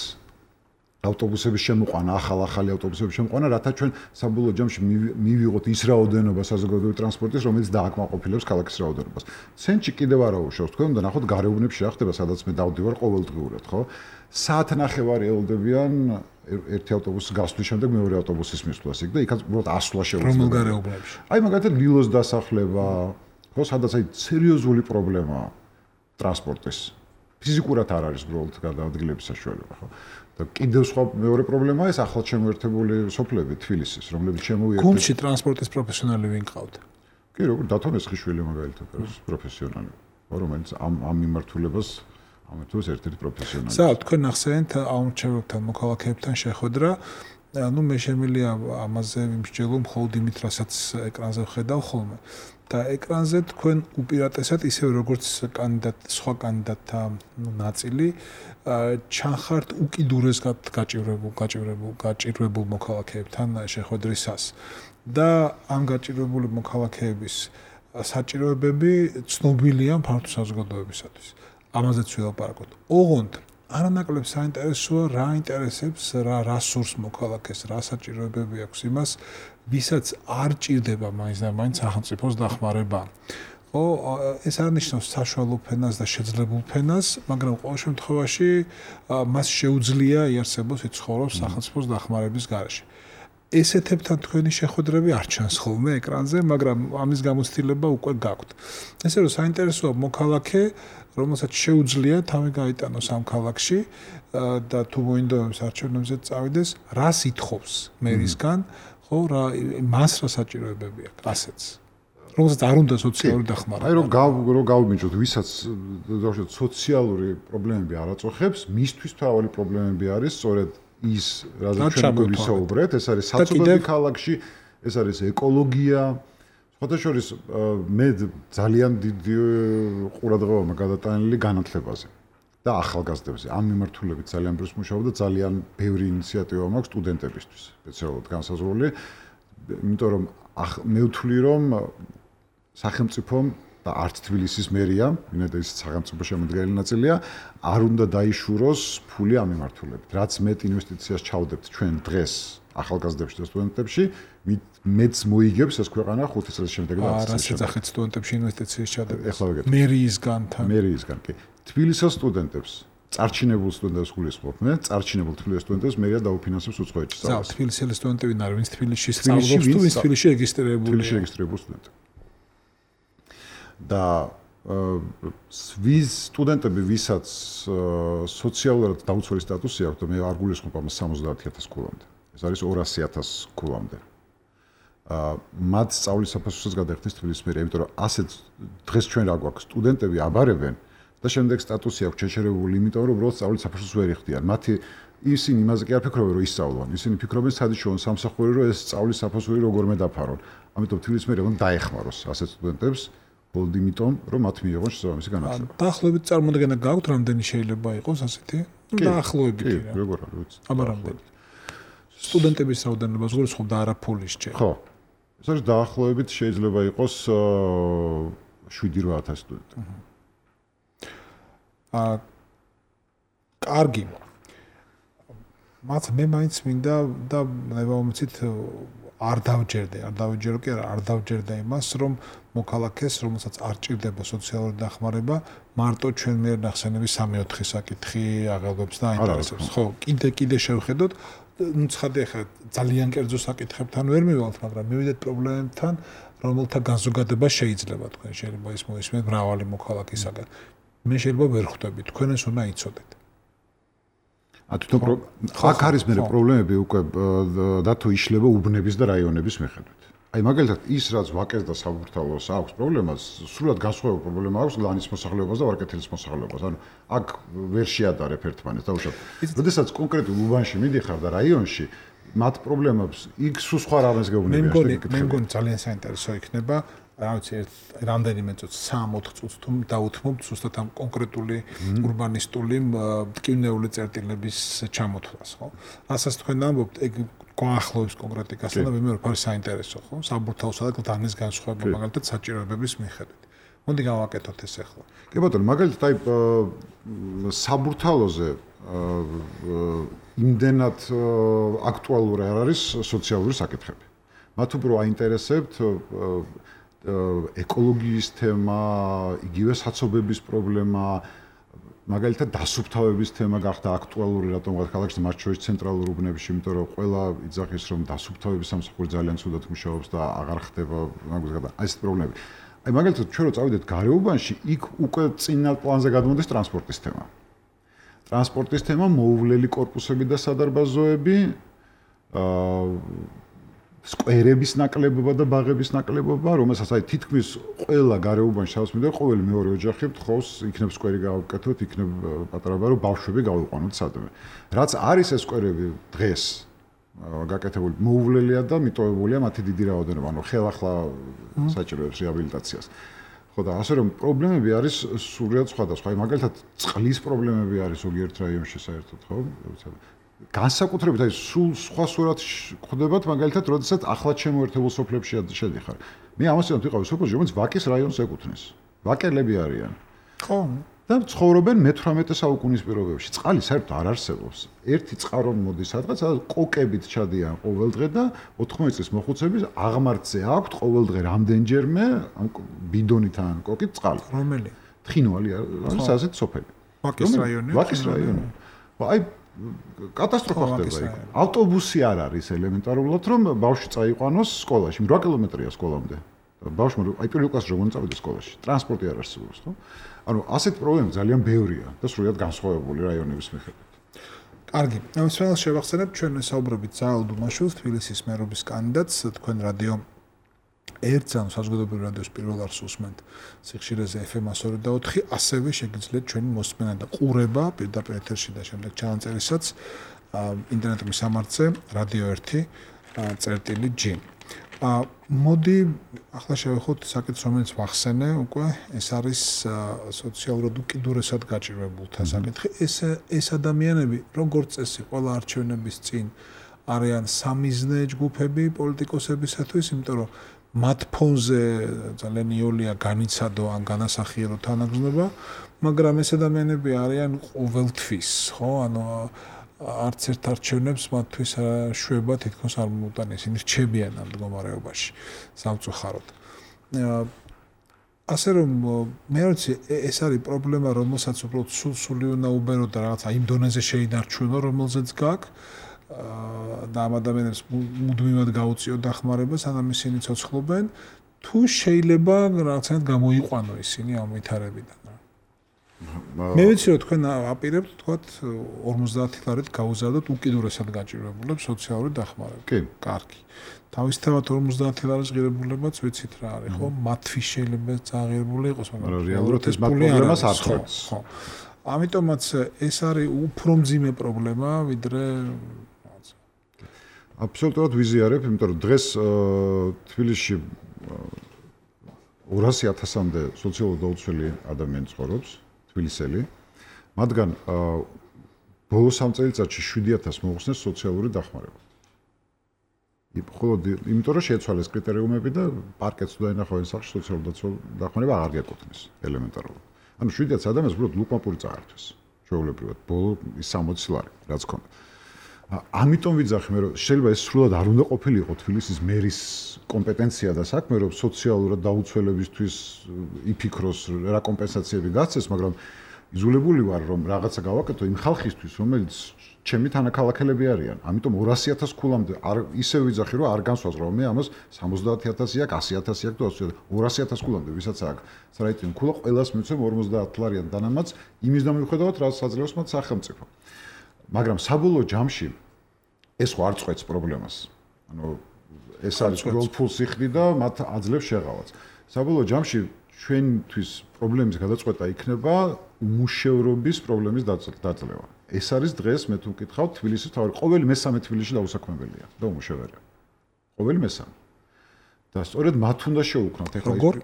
ავტობუსების შემოყვანა, ახალ-ახალი ავტობუსების შემოყვანა, რათა ჩვენ საბოლოო ჯამში მივიღოთ ის რაოდენობა საზოგადოებრივი ტრანსპორტის, რომელიც დააკმაყოფილებს ქალაქის რაოდენობას. ცენტრში კიდევ არა უშავს, თქვენ უნდა ნახოთ გარეუბნებში რა ხდება, სადაც მე დავდივარ ყოველდღიურად, ხო? საათნახევარი ელოდებიან ერთი ავტობუსის გასვლის შემდეგ მეორე ავტობუსის მისვლას იქ და იქაც უბრალოდ ასვლა შეუძლია. რომელ გარეუბნებში? აი მაგალითად ლილოს დასახლება, ხო, სადაც აი სერიოზული პრობლემაა ტრანსპორტის. ფიზიკურად არ არის უბრალოდ გადაადგილების საშუალება, ხო? და კიდევ სხვა მეორე პრობლემაა ეს ახლად შემოერთებული სოფლები თბილისის, რომლებიც შემოიერთეთ. გუნდში ტრანსპორტის პროფესიონალი ვინ ყავთ? კი, როგორ დათო მესხიშვილი მაგალითად არის პროფესიონალი, რომელიც ამ ამ მიმართულებას ამეთოს ერთ-ერთი პროფესიონალი. სა, თქვენ ახსენეთ აუმრჩეველთან, მოქალაქეებთან შეხვედრა. ну მე შემილია ამაზე ვიმსჯელო მხოლოდ იმით, რასაც ეკრანზე ვხედავ ხოლმე. და ეკრანზე თქვენ უპირატესად ისევ როგორც კანდიდატ სხვა კანდიდატთა ნაწილი ჩანხართ უკიდურეს გაჭირვებულ გაჭირვებულ გაჭირვებულ მოქალაქეებთან შეხვედრისას და ამ გაჭირვებული მოქალაქეების საჭიროებები ცნობილია ფართო საზოგადოებისათვის. ამაზეც ვილაპარაკოთ. ოღონდ არანაკლებ საინტერესოა რა ინტერესებს რა რა სურს მოქალაქეს, რა საჭიროებები აქვს იმას, ვისაც არ ჭირდება მაინც და მაინც სახელმწიფოს დახმარება. ხო, ეს არ ნიშნავს საშუალო ფენას და შეძლებულ ფენას, მაგრამ ყოველ შემთხვევაში მას შეუძლია იარსებოს იცხოვროს სახელმწიფოს დახმარების გარეშე. ესეთებთან თქვენი შეხვედრები არ ჩანს ხოლმე ეკრანზე, მაგრამ ამის გამოცდილება უკვე გაქვთ. ესე რომ საინტერესოა მოქალაქე, რომელსაც შეუძლია თავი გაიტანოს ამ ქალაქში და თუ მოინდომებს არჩევნებზე წავიდეს, რას ითხოვს მერისგან, ხო, რა მას რა საჭიროებები აქვს, ასეც. რომელსაც არ უნდა სოციალური დახმარება. აი რომ რომ გავიმიჯოთ, ვისაც დავუშვათ სოციალური პრობლემები არ აწუხებს, მისთვის მთავარი პრობლემები არის სწორედ ის, რაზეც ჩვენ გვისაუბრეთ, ეს არის საცობები ქალაქში, ეს არის ეკოლოგია. სხვათა შორის მე ძალიან დიდი ყურადღება გადატანილი განათლებაზე და ახალგაზრდებზე. ამ მიმართულებით ძალიან ბევრს მუშაობ და ძალიან ბევრი ინიციატივა მაქვს სტუდენტებისთვის, სპეციალურად განსაზღვრული, იმიტომ რომ მე ვთვლი რომ სახელმწიფომ და არც თბილისის მერიამ, ვინაიდან ის სახელმწიფო შემოდგენელი ნაწილია, არ უნდა დაიშუროს ფული ამ მიმართულებით. რაც მეტ ინვესტიციას ჩავდებთ ჩვენ დღეს ახალგაზრდებში და სტუდენტებში, მეც მოიგებს ეს ქვეყანა ხუთი წლის შემდეგ და ათი წლის შემდეგ. რა საერთოდ სტუდენტებში ინვესტიციის ჩადება? ეხლა ვიგეთ. მერიისგან თან. მერიისგან, კი. თბილისის სტუდენტებს, წარჩინებულ სტუდენტებს გულისხმობ მე, წარჩინებულ თბილისის სტუდენტებს მერია დაუფინანსებს უცხოეთში სწავლას. ზა, თბილისელი სტუდენტები ვინ არის, ვინც თბილისში სწავლობს თუ ვინც თბილისში რეგისტრირებული? თბილისში რეგისტრირებული სტუდენტი. და ვის სტუდენტები, ვისაც სოციალურად დაუცველი სტატუსი აქვს, და მე არ გულისხმობ ამას სამოცდაათი ათასი ქულამდე. ეს არის ორასი ათასი ქულამდე. აა მათ სწავლის საფასურსაც გადაიხდის თბილისის მერია, იმიტომ რომ ასეთ დღეს ჩვენ რა გვაქვს, სტუდენტები აბარებენ და შემდეგ სტატუსი აქვს შეჩერებული, იმიტომ რომ უბრალოდ სწავლის საფასურს ვერ იხდიან. მათი ისინი იმაზე კი არ ფიქრობენ, რომ ისწავლონ. ისინი ფიქრობენ, სადიშოვან სამსახური, რომ ეს სწავლის საფასური როგორმე დაფარონ. ამიტომ თბილისის მერია უნდა დაეხმაროს ასეთ სტუდენტებს. მხოლოდ იმიტომ, რომ მათ მიიღონ შესაბამისი განათლება. დაახლოებით წარმოდგენა გაქვთ, რამდენი შეიძლება იყოს ასეთი? დაახლოებით. კი, როგორ არის, ვიცი. აბა რამდენი? სტუდენტების რაოდენობას გულისხმობ და არა ფულის ჯერ. ხო. ეს არის დაახლოებით შეიძლება იყოს შვიდი რვა ათასი სტუდენტი. აა კარგი. მათ მე მაინც მინდა და ნებავმეცით არ დავჯერდე, არ დავჯერო კი არა, არ დავჯერდა იმას, რომ მოქალაქეს, რომელსაც არ ჭირდება სოციალური დახმარება, მარტო ჩვენ მიერ ნახსენები სამი ოთხი საკითხი აღელვებს და აინტერესებს. ხო, კიდე კიდე შევხედოთ, ну ცხადია ხა ძალიან კერძო საკითხებთან ვერ მივალთ, მაგრამ მივიდეთ პრობლემებთან, რომელთა განზოგადება შეიძლება თქვენ შეიძლება ის მოისმენთ მრავალი მოქალაქისაგან. მე შეიძლება ვერ ხვდები, თქვენ ეს უნდა იცოდეთ. ა თვითონ აქ არის მე პრობლემები უკვე დათო იშლება უბნების და რაიონების მიხედვით. აი მაგალითად ის რაც ვაკეს და საბურთალოს აქვს პრობლემას, სრულად განსხვავებული პრობლემა აქვს ლანის მოსახლეობას და ვარკეთილის მოსახლეობას. ანუ აქ ვერ შეადარებ ერთმანეთს, დაუშვათ. როდესაც კონკრეტულ უბანში მიდიხარ და რაიონში მათ პრობლემებს იქ სულ სხვა რამეს გეუბნები. მე მგონი, მე მგონი ძალიან საინტერესო იქნება, რა ვიცი, რამდენიმე წუთს, სამი-ოთხ წუთს თუ დაუთმობთ ზუსტად ამ კონკრეტული ურბანისტული მტკივნეული წერტილების ჩამოთვლას, ხო? რასაც თქვენ ამბობთ, ეგ გვაახლოვებს კონკრეტიკასთან და მე მგონი არის საინტერესო, ხო? საბურთალოსა და დანიის განსხვავება მაგალითად საჭიროებების მიხედვით. მოდი გავაკეთოთ ეს ახლა. კი ბატონო, მაგალითად აი საბურთალოზე იმდენად აქტუალური არ არის სოციალური საკითხები. მათ უფრო აინტერესებთ ეკოლოგიის თემა, იგივე საცობების პრობლემა, მაგალითად დასუფთავების თემა გახდა აქტუალური რატომღაც ქალაქში მათ შორის ცენტრალურ უბნებში, იმიტომ რომ ყველა იძახის რომ დასუფთავების სამსახური ძალიან ცუდად მუშაობს და აღარ ხდება მაგალითად აი ეს პრობლემები. აი მაგალითად ჩვენ რო წავიდეთ გარეუბანში, იქ უკვე წინა პლანზე გადმოდის ტრანსპორტის თემა. ტრანსპორტის თემა, მოუვლელი კორპუსები და სადარბაზოები, აა სკვერების ნაკლებობა და ბაღების ნაკლებობა, რომელსაც აი თითქმის ყველა გარეუბანში სადაც მიდევარ, ყოველი მეორე ოჯახი თხოვს, იქნებ სკვერი გავაკეთოთ, იქნებ პატარა ბარო ბავშვები გავიყვანოთ სადმე. რაც არის ეს სკვერები დღეს გაკეთებული, მოუვლელია და მიტოვებულია მათი დიდი რაოდენობა, ანუ ხელახლა საჭიროებს რეაბილიტაციას. ხო და ასე რომ პრობლემები არის სრულიად სხვადასხვა. აი მაგალითად წყლის პრობლემები არის ზოგიერთ რაიონში საერთოდ, ხო? განსაკუთრებით აი სულ სხვა სურათ ხდებათ მაგალითად, როდესაც ახლად შემოერთებულ სოფლებში შედიხარ. მე ამასთან ვიყავი სოფელში, რომელიც ვაკის რაიონს ეკუთვნის. ვაკელები არიან. ხო. და ცხოვრობენ მეთვრამეტე საუკუნის პირობებში. წყალი საერთოდ არ არსებობს. ერთი წყარო მოდის სადღაც, სადაც კოკებით ჩადიან ყოველდღე და ოთხმოცი წლის მოხუცების აღმართზე აქვთ ყოველდღე რამდენჯერმე ამ ბიდონით ან კოკით წყალი. რომელი? თხინვალი არის ასეთი სოფელი. ვაკის რაიონი. ვაკის რაიონი. აი კატასტროფა ხდება იქ. ავტობუსი არ არის ელემენტარულად, რომ ბავშვი წაიყვანოს სკოლაში. რვა კილომეტრია სკოლამდე. ბავშვმა აი პირველ კლასში რომ წავიდეს სკოლაში, ტრანსპორტი არ არსებობს, ხო? ანუ ასეთ პრობლემები ძალიან ბევრია და სრულიად განსხვავებული რაიონების მიხედვით. კარგი. ამ სფეროს შევახსენებ ჩვენ საუბრობით ზაალ დუმაშვილს, თბილისის მერობის კანდიდატს, თქვენ რადიო ერთ ამ საზოგადოებრივ რადიოს პირველ არს უსმენთ სიხშირეზე ეფ ემ ასი და ოთხი, ასევე შეგიძლიათ ჩვენი მოსმენა და ყურება პირდაპირ ეთერში და შემდეგ ჩანაწერისაც ინტერნეტ მისამართზე რადიო ერთი წერტილი ჯი. მოდი ახლა შევეხოთ საკითხს, რომელიც ვახსენე უკვე, ეს არის სოციალურად უკიდურესად გაჭირვებულთა საკითხი. ეს ეს ადამიანები, როგორც წესი, ყველა არჩევნების წინ არიან სამიზნე ჯგუფები პოლიტიკოსებისათვის, იმიტომ რომ მათ ფონზე ძალიან იოლია განიცადო ან განასახიერო თანაგზნობა, მაგრამ ეს ადამიანები არიან ყოველთვის, ხო? ანუ არც ერთ არჩევნებს მათთვის შვება თითქოს არ მოუტან, ისინი რჩებიან ამ მდგომარეობაში სამწუხაროდ. ასე რომ მე ვიცი, ეს არის პრობლემა, რომელსაც უბრალოდ სულ-სული უნდა უბერო და რაღაცა იმ დონეზე შეინარჩუნო, რომელზეც გაქვს. და ამ ადამიანებს მუდმივად გაუწიო დახმარება, სანამ ისინი ცოცხლობენ, თუ შეიძლება რაღაცნაირად გამოიყვანო ისინი ამ ვითარებიდან. მე ვიცი რომ თქვენ აპირებთ თქვათ ორმოცდაათი ლარით გაუზადოთ უკიდურესად გაჭირვებულებს სოციალური დახმარება. კი, კარგი. თავისთავად ორმოცდაათი ლარის ღირებულებაც ვიცით რა არის, ხო? მათთვის შეიძლება წაღირებული იყოს, მაგრამ რეალურად ეს პრობლემას არ ხვდებს. ხო. ამიტომაც ეს არის უფრო მძიმე პრობლემა, ვიდრე აბსოლუტურად ვიზიარებ, იმიტომ რომ დღეს თბილისში ორასი ათასამდე სოციალურად დაუცველი ადამიანი ცხოვრობს, თბილისელი. მათგან ბოლო სამ წელიწადში შვიდი ათასი მოუხსნეს სოციალური დახმარება. მხოლოდ იმიტომ რომ შეცვალეს კრიტერიუმები და პარკეტს თუ დაინახავენ სახში სოციალური დახმარება აღარ გეკუთვნის ელემენტარულად. ანუ შვიდი ათასი ადამიანს უბრალოდ ლუკმაპური წაართვეს. ჩვეულებრივად ბოლო სამოცი ლარი რაც ქონდა. ამიტომ ვიძახი მე რომ შეიძლება ეს სრულად არ უნდა ყოფილიყო თბილისის მერის კომპეტენცია და საქმე რომ სოციალურად დაუცველებისთვის იფიქროს რა კომპენსაციები გასცეს, მაგრამ იზოლებული ვარ რომ რაღაცა გავაკეთო იმ ხალხისთვის, რომელიც ჩემი თანაქალაქელები არიან. ამიტომ ორასი ათასი ქულამდე არ ისე ვიძახი რომ არ განსვას რომ მე ამას სამოცდაათი ათასი აქვს, ასი ათასი აქვს და ორასი ათასი ქულამდე ვისაც აქვს საერთოდ ქულა ყველას მიცემ ორმოცდაათი ლარიან დანამატს იმის დამივხვდათ რაც საძლევს მათ სახელმწიფო. მაგრამ საბოლოო ჯამში ეს ხო არ წყვეტს პრობლემას. ანუ ეს არის გროლფულ სიხდი და მათ აძლევს შეღავაც. საბოლოო ჯამში ჩვენთვის პრობლემის გადაწყვეტა იქნება უმუშევრობის პრობლემის დაძლევა. ეს არის დღეს მე თუ მკითხავთ თბილისის თავი ყოველი მესამე თბილისში დაუსაქმებელია და უმუშევარია. ყოველი მესამე. და სწორედ მათ უნდა შეუქმნათ ეხლა როგორ?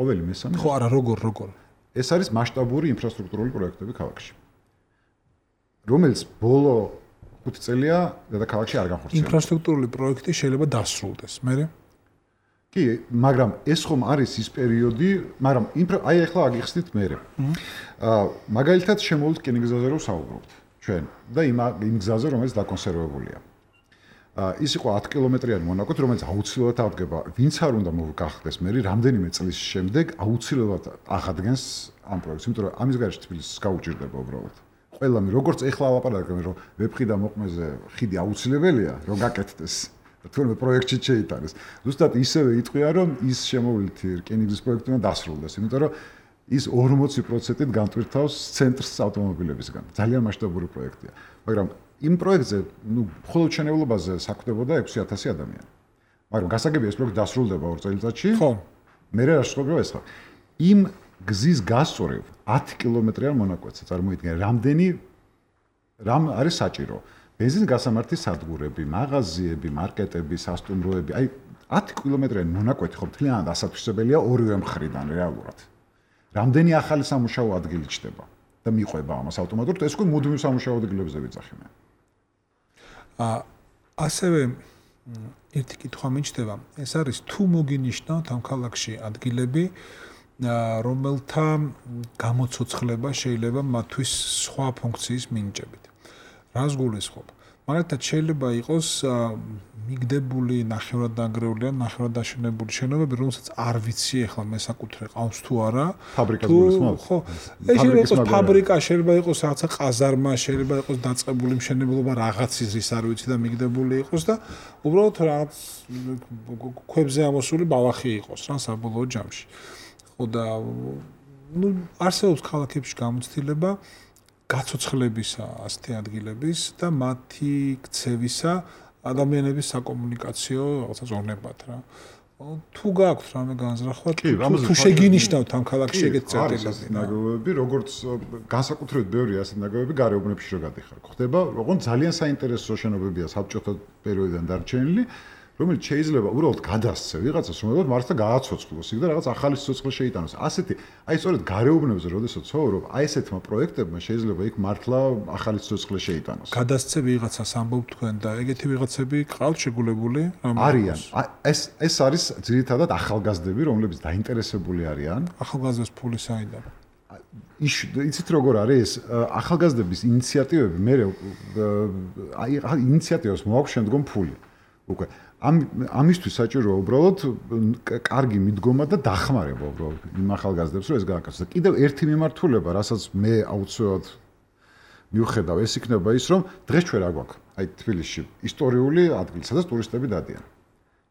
ყოველი მესამე. ხო არა როგორ როგორ. ეს არის მასშტაბური ინფრასტრუქტურული პროექტები ქალაქში. რომელიც ბოლო ხუთი წელია დედაქალაქში არ განხორციელდა. ინფრასტრუქტურული პროექტი შეიძლება დასრულდეს, მერე? კი, მაგრამ ეს ხომ არის ის პერიოდი, მაგრამ აი ახლა აგიხსნით მერე. აა მაგალითად შემოვიდეთ რკინიგზაზე რომ საუბრობთ ჩვენ და იმ იმ გზაზე რომელიც დაკონსერვებულია. აა ის იყო ათი კილომეტრიანი მონაკვეთი, რომელიც აუცილებლად აღდგება. ვინც არ უნდა მოგახდეს მე რამდენიმე წლის შემდეგ აუცილებლად აღადგენს ამ პროექტს, იმიტომ რომ ამის გარშე თბილისს გაუჭირდება უბრალოდ. ყველა მე როგორც ეხლა ლაპარაკობ რომ ვეფხი და მოყმეზე ხიდი აუცილებელია რომ გაკეთდეს. თუნდაც პროექტში შეიტანეს. ზუსტად ისევე იტყვია რომ ის შემოვლითი რკინიგზის პროექტი უნდა დასრულდეს, იმიტომ რომ ის ორმოცი პროცენტით განტვირთავს ცენტრს ავტომობილებისგან. ძალიან მასშტაბური პროექტია. მაგრამ იმ პროექტზე, ნუ მხოლოდ მშენებლობაზე საქმდებოდა ექვსი ათასი ადამიანი. მაგრამ გასაგებია ეს პროექტი დასრულდება ორ წელიწადში. ხო. მე რა შეგვიძლია ეს ხარ. იმ გზის გასწორებ ათი კილომეტრიან მონაკვეთზე წარმოიდგინე, რამდენი რამ არის საჭირო. ბენზინის გასამართის სადგურები, მაღაზიები, მარკეტები, სასტუმროები, აი ათი კილომეტრიანი მონაკვეთი ხო მთლიანად ასათვისებელია ორივე მხრიდან რეალურად. რამდენი ახალი სამუშაო ადგილი ჩდება და მიყვება ამას ავტომატურად, ეს უკვე მუდმივ სამუშაო ადგილებზე ვიძახი მე. აა ასევე ერთი კითხვა მიჩნდება, ეს არის თუ მოგინიშნავთ ამ ქალაქში ადგილები, რომელთა გამოცოცხლება შეიძლება მათთვის სხვა ფუნქციის მინიჭებით. რას გულისხმობ? მაგალითად შეიძლება იყოს მიგდებული, ნახევრად დანგრეული ან ნახევრად დაშენებული შენობები, რომელსაც არ ვიცი ახლა მესაკუთრე ყავს თუ არა. ფაბრიკას გულისხმობ? ხო. ეს შეიძლება იყოს ფაბრიკა, შეიძლება იყოს რაღაცა ყაზარმა, შეიძლება იყოს დაწყებული მშენებლობა რაღაცის რის არ ვიცი და მიგდებული იყოს და უბრალოდ რაღაც ქვებზე ამოსული ბალახი იყოს რა საბოლოო ჯამში. ხო და ნუ არსებობს ქალაქებში გამოცდილება გაცოცხლებისა ასეთი ადგილების და მათი ქცევისა ადამიანების საკომუნიკაციო რაღაცა ზონებად რა. თუ გაქვთ რამე განზრახვა, თუ შეგინიშნავთ ამ ქალაქში ეგეთ წერტილები. ნაგებობები, როგორც განსაკუთრებით ბევრია ასეთი ნაგებობები გარეუბნებში რო გადიხარ. ხდება, როგორც ძალიან საინტერესო შენობებია საბჭოთა პერიოდიდან დარჩენილი, რომელიც შეიძლება უბრალოდ გადასცე ვიღაცას, რომელსაც მართლა გააცოცხლოს, იქ და რაღაც ახალი სიცოცხლე შეიტანოს. ასეთი, აი სწორედ გარეუბნებზე, როდესაც ცხოვრობ, აი ესეთმა პროექტებმა შეიძლება იქ მართლა ახალი სიცოცხლე შეიტანოს. გადასცე ვიღაცას ამბობ თქვენ და ეგეთი ვიღაცები ყავთ შეგულებული? არიან. ეს ეს არის ძირითადად ახალგაზრდები, რომლებიც დაინტერესებული არიან. ახალგაზრდებს ფული საიდან? იცით როგორ არის ახალგაზრდების ინიციატივები, მე აი ინიციატივას მოაქვს შემდგომ ფული. უკვე ამ ამისთვის საჭიროა უბრალოდ კარგი მიდგომა და დახმარება უბრალოდ იმ ახალგაზრდებს რომ ეს გააკეთოს. და კიდევ ერთი მიმართულება, რასაც მე აუცილებლად მივხედავ, ეს იქნება ის, რომ დღეს ჩვენ რა გვაქვს? აი თბილისში ისტორიული ადგილი, სადაც ტურისტები დადიან.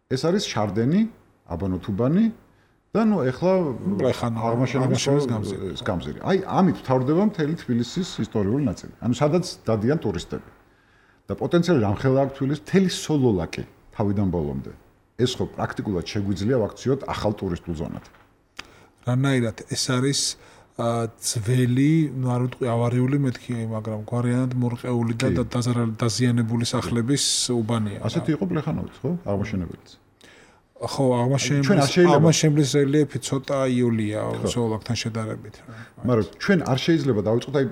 ეს არის შარდენი, აბანოთუბანი და ნუ ეხლა აღმაშენების გამზირი. აი ამით თავდება მთელი თბილისის ისტორიული ნაწილი. ანუ სადაც დადიან ტურისტები. და პოტენციალი რამხელა აქვს თბილისის მთელი სოლოლაკი თავიდან ბოლომდე. ეს ხო პრაქტიკულად შეგვიძლია ვაქციოთ ახალ ტურისტულ ზონად. რანაირად ეს არის ძველი, ნუ არ ვიტყვი ავარიული მეთქი, მაგრამ გვარიანად მორყეული და დაზიანებული სახლების უბანია. ასეთი იყო პლეხანოვიც, ხო? აღმაშენებელიც. ხო, აღმაშენებლის რელიეფი ცოტა იოლია სოლოლაკთან შედარებით. მაგრამ ჩვენ არ შეიძლება დავიწყოთ, აი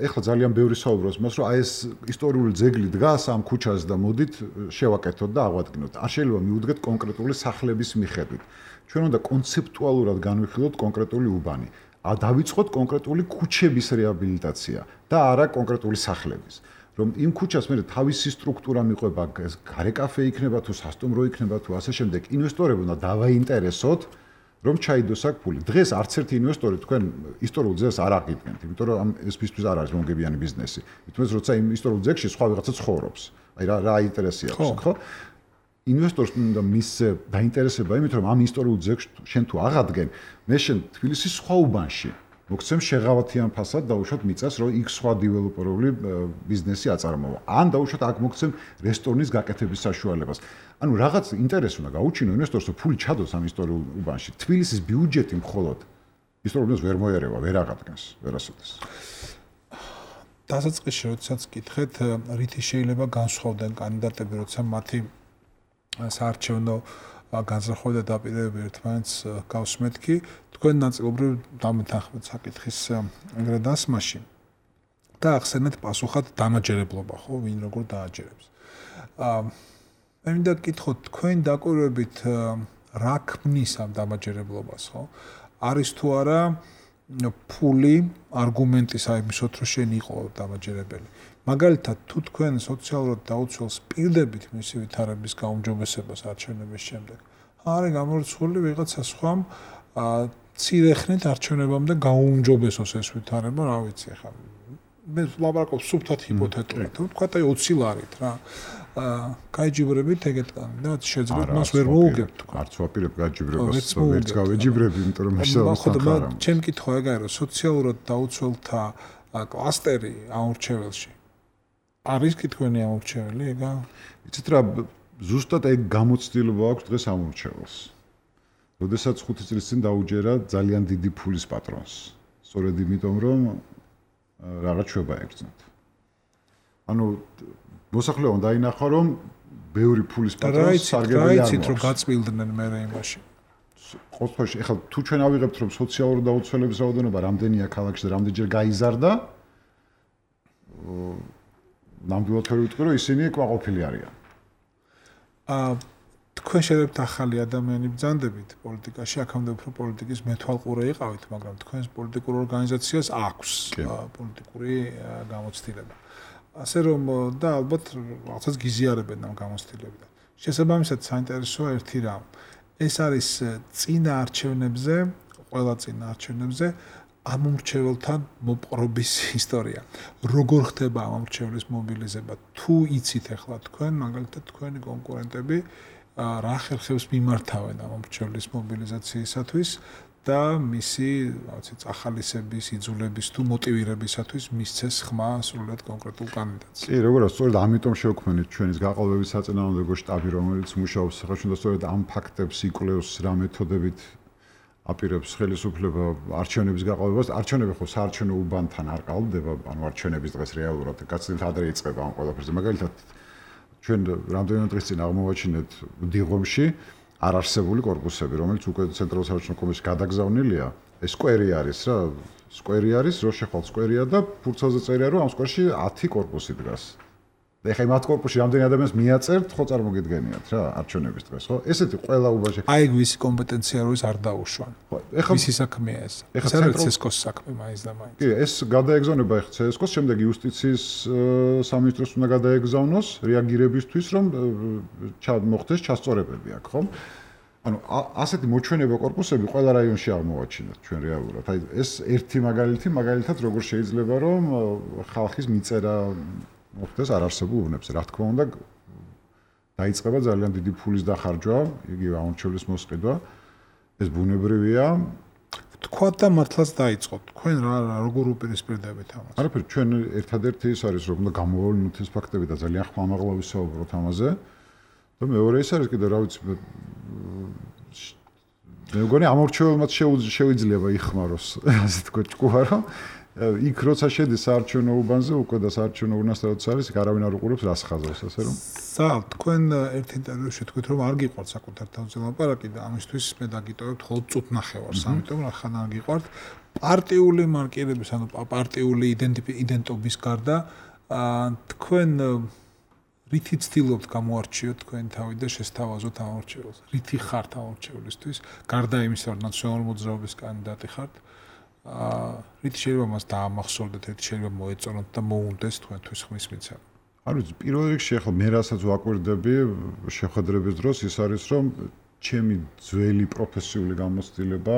ეხლა ძალიან ბევრი საუბრობს მას, რომ აი ეს ისტორიული ძეგლი დგას ამ ქუჩაზე და მოდით შევაკეთოთ და აღვადგინოთ. არ შეიძლება მიუდგეთ კონკრეტული სახლების მიხედვით. ჩვენ უნდა კონცეპტუალურად განვიხილოთ კონკრეტული უბანი. დავიწყოთ კონკრეტული ქუჩების რეაბილიტაცია და არა კონკრეტული სახლების. რომ იმ ქუჩას მე თავისი სტრუქტურა მიყვება, გარეკაფე იქნება თუ სასტუმრო იქნება თუ ასე შემდეგ, ინვესტორები უნდა დავაინტერესოთ, რომ ჩაიდოს აქ ფული. დღეს არც ერთი ინვესტორი თქვენ ისტორიულ ძეგლს არ აღიდგენთ, იმიტომ რომ ამ ეს ფისთვის არ არის მომგებიანი ბიზნესი. თუმცა როცა იმ ისტორიულ ძეგლში სხვა ვიღაცა ცხოვრობს, აი რა რა ინტერესი აქვს, ხო? ინვესტორს უნდა მისცე დაინტერესება იმით, რომ ამ ისტორიულ ძეგლს შენ თუ აღადგენ, მე შენ თბილისის სხვა უბანში მოგცემ შეღავათიან ფასად დაუშვათ მიწას, რომ იქ სხვა დეველოპერული ბიზნესი აწარმოვა. ან დაუშვათ აქ მოგცემ რესტორნის გაკეთების საშუალებას. ანუ რაღაც ინტერესი უნდა გაუჩინო ინვესტორს, რომ ფული ჩადოს ამ ისტორიულ უბანში. თბილისის ბიუჯეტი მხოლოდ ისტორიულ უბანს ვერ მოერევა, ვერ აღადგენს, ვერასოდეს. დასაწყისში როდესაც გითხეთ, რითი შეიძლება განსხვავდნენ კანდიდატები, როცა მათი საარჩევნო განზრახვა და დაპირებები ერთმანეთს გავსმეთ კი, თქვენ ნაწილობრივ დამეთანხმეთ საკითხის ეგრე დასმაში და ახსენეთ პასუხად დამაჯერებლობა, ხო, ვინ როგორ დააჯერებს. აა მე მინდა გკითხოთ, თქვენ დაკვირვებით რა ქმნის ამ დამაჯერებლობას, ხო? არის თუ არა ფული არგუმენტის აიმისოთ, რომ შენ იყო დამაჯერებელი. მაგალითად, თუ თქვენ სოციალურად დაუცველს პირდებით მისი ვითარების გაუმჯობესებას არჩევნების შემდეგ, არის გამორიცხული ვიღაცა სხვამ მცირე ხნით არჩევნებამდე გაუმჯობესოს ეს ვითარება, რა ვიცი ახლა. მე ლაპარაკობ სუფთად ჰიპოთეტურად, თქვათ აი ოცი ლარით რა. აა გაიჯიბრებით ეგეთ კანდიდატს შეძლებ მას ვერ მოუგებთ. არც ვაპირებ გაიჯიბრებას, ვერც გავეჯიბრები, იმიტომ რომ მასალა ჩემ კითხვა ეგაა, რომ სოციალურად დაუცველთა კლასტერი აურჩეველში არის კითხვენი აურჩეველი ეგა? იცით რა, ზუსტად ეგ გამოცდილება აქვს დღეს ამურჩეველს. როდესაც ხუთი წლის წინ დაუჯერა ძალიან დიდი ფულის პატრონს. სწორედ იმიტომ რომ რაღაც შვება ეგწნათ. ანუ მოსახლეობა დაინახა რომ ბევრი ფულის პატრონს სარგებელი არ მაქვს. რაიცით რომ გაწმილდნენ მე იმაში. ყოველთვის ეხლა თუ ჩვენ ავიღებთ რომ სოციალური დაუცველების რაოდენობა რამდენია ქალაქში და რამდენჯერ გაიზარდა, ნამდვილად ვერ ვიტყვი რომ ისინი კმაყოფილი არიან. აა თქვენ შეერებთ ახალი ადამიანი ბრძანდებით პოლიტიკაში, აქამდე უფრო პოლიტიკის მეთვალყურე იყავით, მაგრამ თქვენს პოლიტიკურ ორგანიზაციას აქვს პოლიტიკური გამოცდილება. ასე რომ და ალბათ რაღაცას გიზიარებენ ამ გამოცდილებიდან. შესაბამისად, საინტერესოა ერთი რამ. ეს არის წინა არჩევნებზე, ყველა წინა არჩევნებზე ამომრჩეველთან მოპყრობის ისტორია. როგორ ხდება ამომრჩევლის მობილიზება? თუ იცით ახლა თქვენ, მაგალითად თქვენი კონკურენტები რა ხერხებს მიმართავენ ამომრჩევლის მობილიზაციისათვის და მისი, რა ვიცი, წახალისების, იძულების თუ მოტივირებისათვის მისცეს ხმა სრულად კონკრეტულ კანდიდატს. კი, როგორია, სწორედ ამიტომ შევქმნით ჩვენის გაყალბების საწინააღმდეგო შტაბი, რომელიც მუშაობს სახელმწიფო და სწორედ ამ ფაქტებს იკვლევს რა მეთოდებით აპირებს ხელისუფლება არჩევნების გაყალბებას. არჩევნები ხო საარჩევნო უბანთან არ ყალბდება, ანუ არჩევნების დღეს რეალურად გაცილებით ადრე იწყება ამ ყველაფერზე. მაგალითად, ჩვენ რამდენიმე დღის წინ აღმოვაჩინეთ დიღომში არარსებული კორპუსები, რომელიც უკვე ცენტრალურ საარჩევნო კომისიაში გადაგზავნილია. ეს სკვერი არის რა, სკვერი არის, რო შეხვალ სკვერია და ფურცელზე წერია, რომ ამ სკვერში ათი კორპუსი დგას. და ეხლა მათ კორპუსში რამდენი ადამიანს მიაწერთ, ხო წარმოგიდგენიათ რა, არჩევნების დღეს, ხო? ესეთი ყველა უბანში. აი ვისი კომპეტენცია როის არ დაუშვან. ეხლა ვისი საქმეა ეს? ეს არის ცესკოს საქმე მაინც და მაინც. კი, ეს გადაეგზავნება ეხლა ცესკოს, შემდეგ იუსტიციის სამინისტროს უნდა გადაეგზავნოს რეაგირებისთვის, რომ მოხდეს ჩასწორებები აქ, ხო? ანუ ასეთი მოჩვენება კორპუსები ყველა რაიონში აღმოვაჩინეთ ჩვენ რეალურად. აი ეს ერთი მაგალითი, მაგალითად როგორ შეიძლება რომ ხალხის მიწერა მოხდეს არარსებულ უბნებზე. რა თქმა უნდა, დაიწყება ძალიან დიდი ფულის დახარჯვა, იგივე ამორჩევლის მოსყიდვა. ეს ბუნებრივია. თქვა და მართლაც დაიწყო. თქვენ რა როგორ უპირისპირდებით ამას? არაფერი, ჩვენ ერთადერთი ის არის, რომ უნდა გამოავლინოთ ეს ფაქტები და ძალიან ხმამაღლა ვისაუბროთ ამაზე. და მეორე ის არის კიდე, რა ვიცი, მე მგონი ამორჩეველმაც შეუძლია იხმაროს, ასე თქვა ჭკუა, რომ იქ როცა შედის საარჩევნო უბანზე, უკვე და საარჩევნო უბანს რაც არის, არავინ არ უყურებს რას ხაზავს, ასე რომ. სა, თქვენ ერთ ინტერვიუში თქვით, რომ არ გიყვართ საკუთარ თავზე ლაპარაკი და ამისთვის მე დაგიტოვებთ მხოლოდ წუთ ნახევარს, ამიტომ რა ხან არ გიყვართ პარტიული მარკირების, ანუ პარტიული იდენტობის გარდა, თქვენ რითი ცდილობთ გამოარჩიოთ თქვენ თავი და შესთავაზოთ ამორჩეველს? რითი ხართ ამორჩევლისთვის? გარდა იმისა, რომ ნაციონალური მოძრაობის კანდიდატი ხართ, აა რითი შეიძლება მას დაამახსოვრდეთ, რითი შეიძლება მოეწონოთ და მოუნდეს თქვენთვის ხმის მიცემა? არ ვიცი, პირველ რიგში ახლა მე რასაც ვაკვირდები შეხვედრების დროს ის არის, რომ ჩემი ძველი პროფესიული გამოცდილება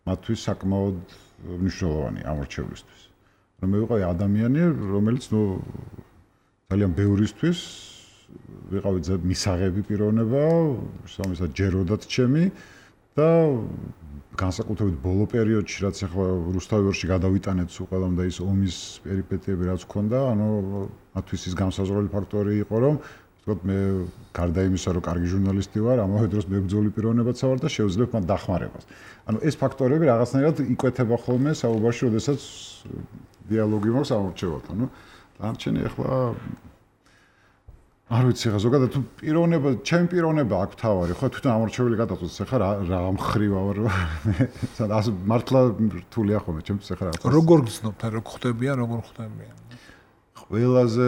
მათთვის საკმაოდ მნიშვნელოვანი ამორჩევლისთვის. რომ მე ვიყავი ადამიანი, რომელიც ნუ ძალიან ბევრისთვის ვიყავი მისაღები პიროვნება, სამისად ჯეროდათ ჩემი და განსაკუთრებით ბოლო პერიოდში, რაც ახლა რუსთავიორში გადავიტანეთ სულ ყველამ და ის ომის პერიპეტიები რაც ჰქონდა, ანუ მათთვის ის განსაზღვრელი ფაქტორი იყო, რომ ვთქვათ, მე გარდა იმისა, რომ კარგი ჟურნალისტი ვარ, ამავე დროს მებრძოლი პიროვნებაც ვარ და შევძლებ მათ დახმარებას. ანუ ეს ფაქტორები რაღაცნაირად იკვეთება ხოლმე საუბარში, როდესაც დიალოგი მაქვს ამორჩევალთან. ნუ დანარჩენი ახლა არ ვიცი, ხა ზოგადად თუ პიროვნება, ჩემი პიროვნება აქ თავარი, ხო, თვითონ ამორჩეველი გადაწყვეტს, ხა რა რა მხრივა ვარ. ასე მართლა რთულია ხოლმე, ჩემთვის ხა რა. როგორ გძნობთ, როგორ ხვდებიან, როგორ ხვდებიან? ყველაზე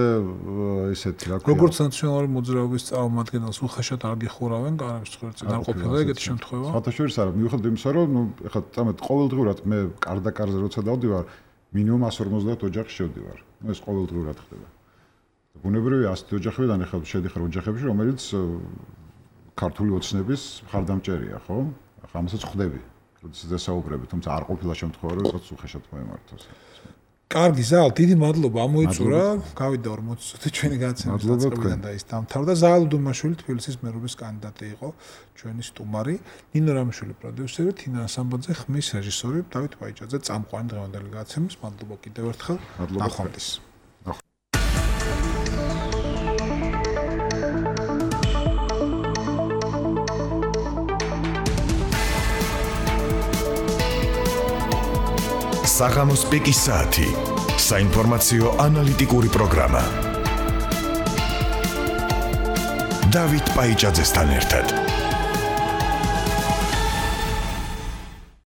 ისეთი რა ქვია. როგორც ნაციონალური მოძრაობის წარმომადგენელს უხეშად არ გიხურავენ განების ცხვრეთზე, არ ყოფილა ეგეთი შემთხვევა? სხვათაშორის არა, მიუხედავად იმისა, რომ ნუ ხა წამეთ ყოველდღურად მე კარდაკარზე როცა დავდივარ, მინიმუმ εκατს ორმოცდაათ ოჯახში შევდივარ. ნუ ეს ყოველდღურად ხდება. ბუნებრივია ასეთი ოჯახებიდან ახლა შედიხარ ოჯახებში, რომელიც ქართული ოცნების მხარდამჭერია, ხო? ახლა ამასაც ხვდები, როდესაც დასაუბრები, თუმცა არ ყოფილა შემთხვევა, რომ ვიღაც უხეშად მოემართოს. კარგი, ზაალ, დიდი მადლობა, ამოიწურა. გავიდა ორმოცი წუთი ჩვენი განაცემის დაწყებიდან და ის დამთავრდა. ზაალ დუმაშვილი თბილისის მერობის კანდიდატი იყო, ჩვენი სტუმარი. ნინო რამიშვილი პროდიუსერი, თინა სამბაძე ხმის რეჟისორი, დავით პაიჭაძე წამყვანი დღევანდელი განაცემის. მადლობა კიდევ ერთხელ. ნახვამდის. საღამოს პიკის საათი. საინფორმაციო ანალიტიკური პროგრამა. დავით პაიჭაძესთან ერთად.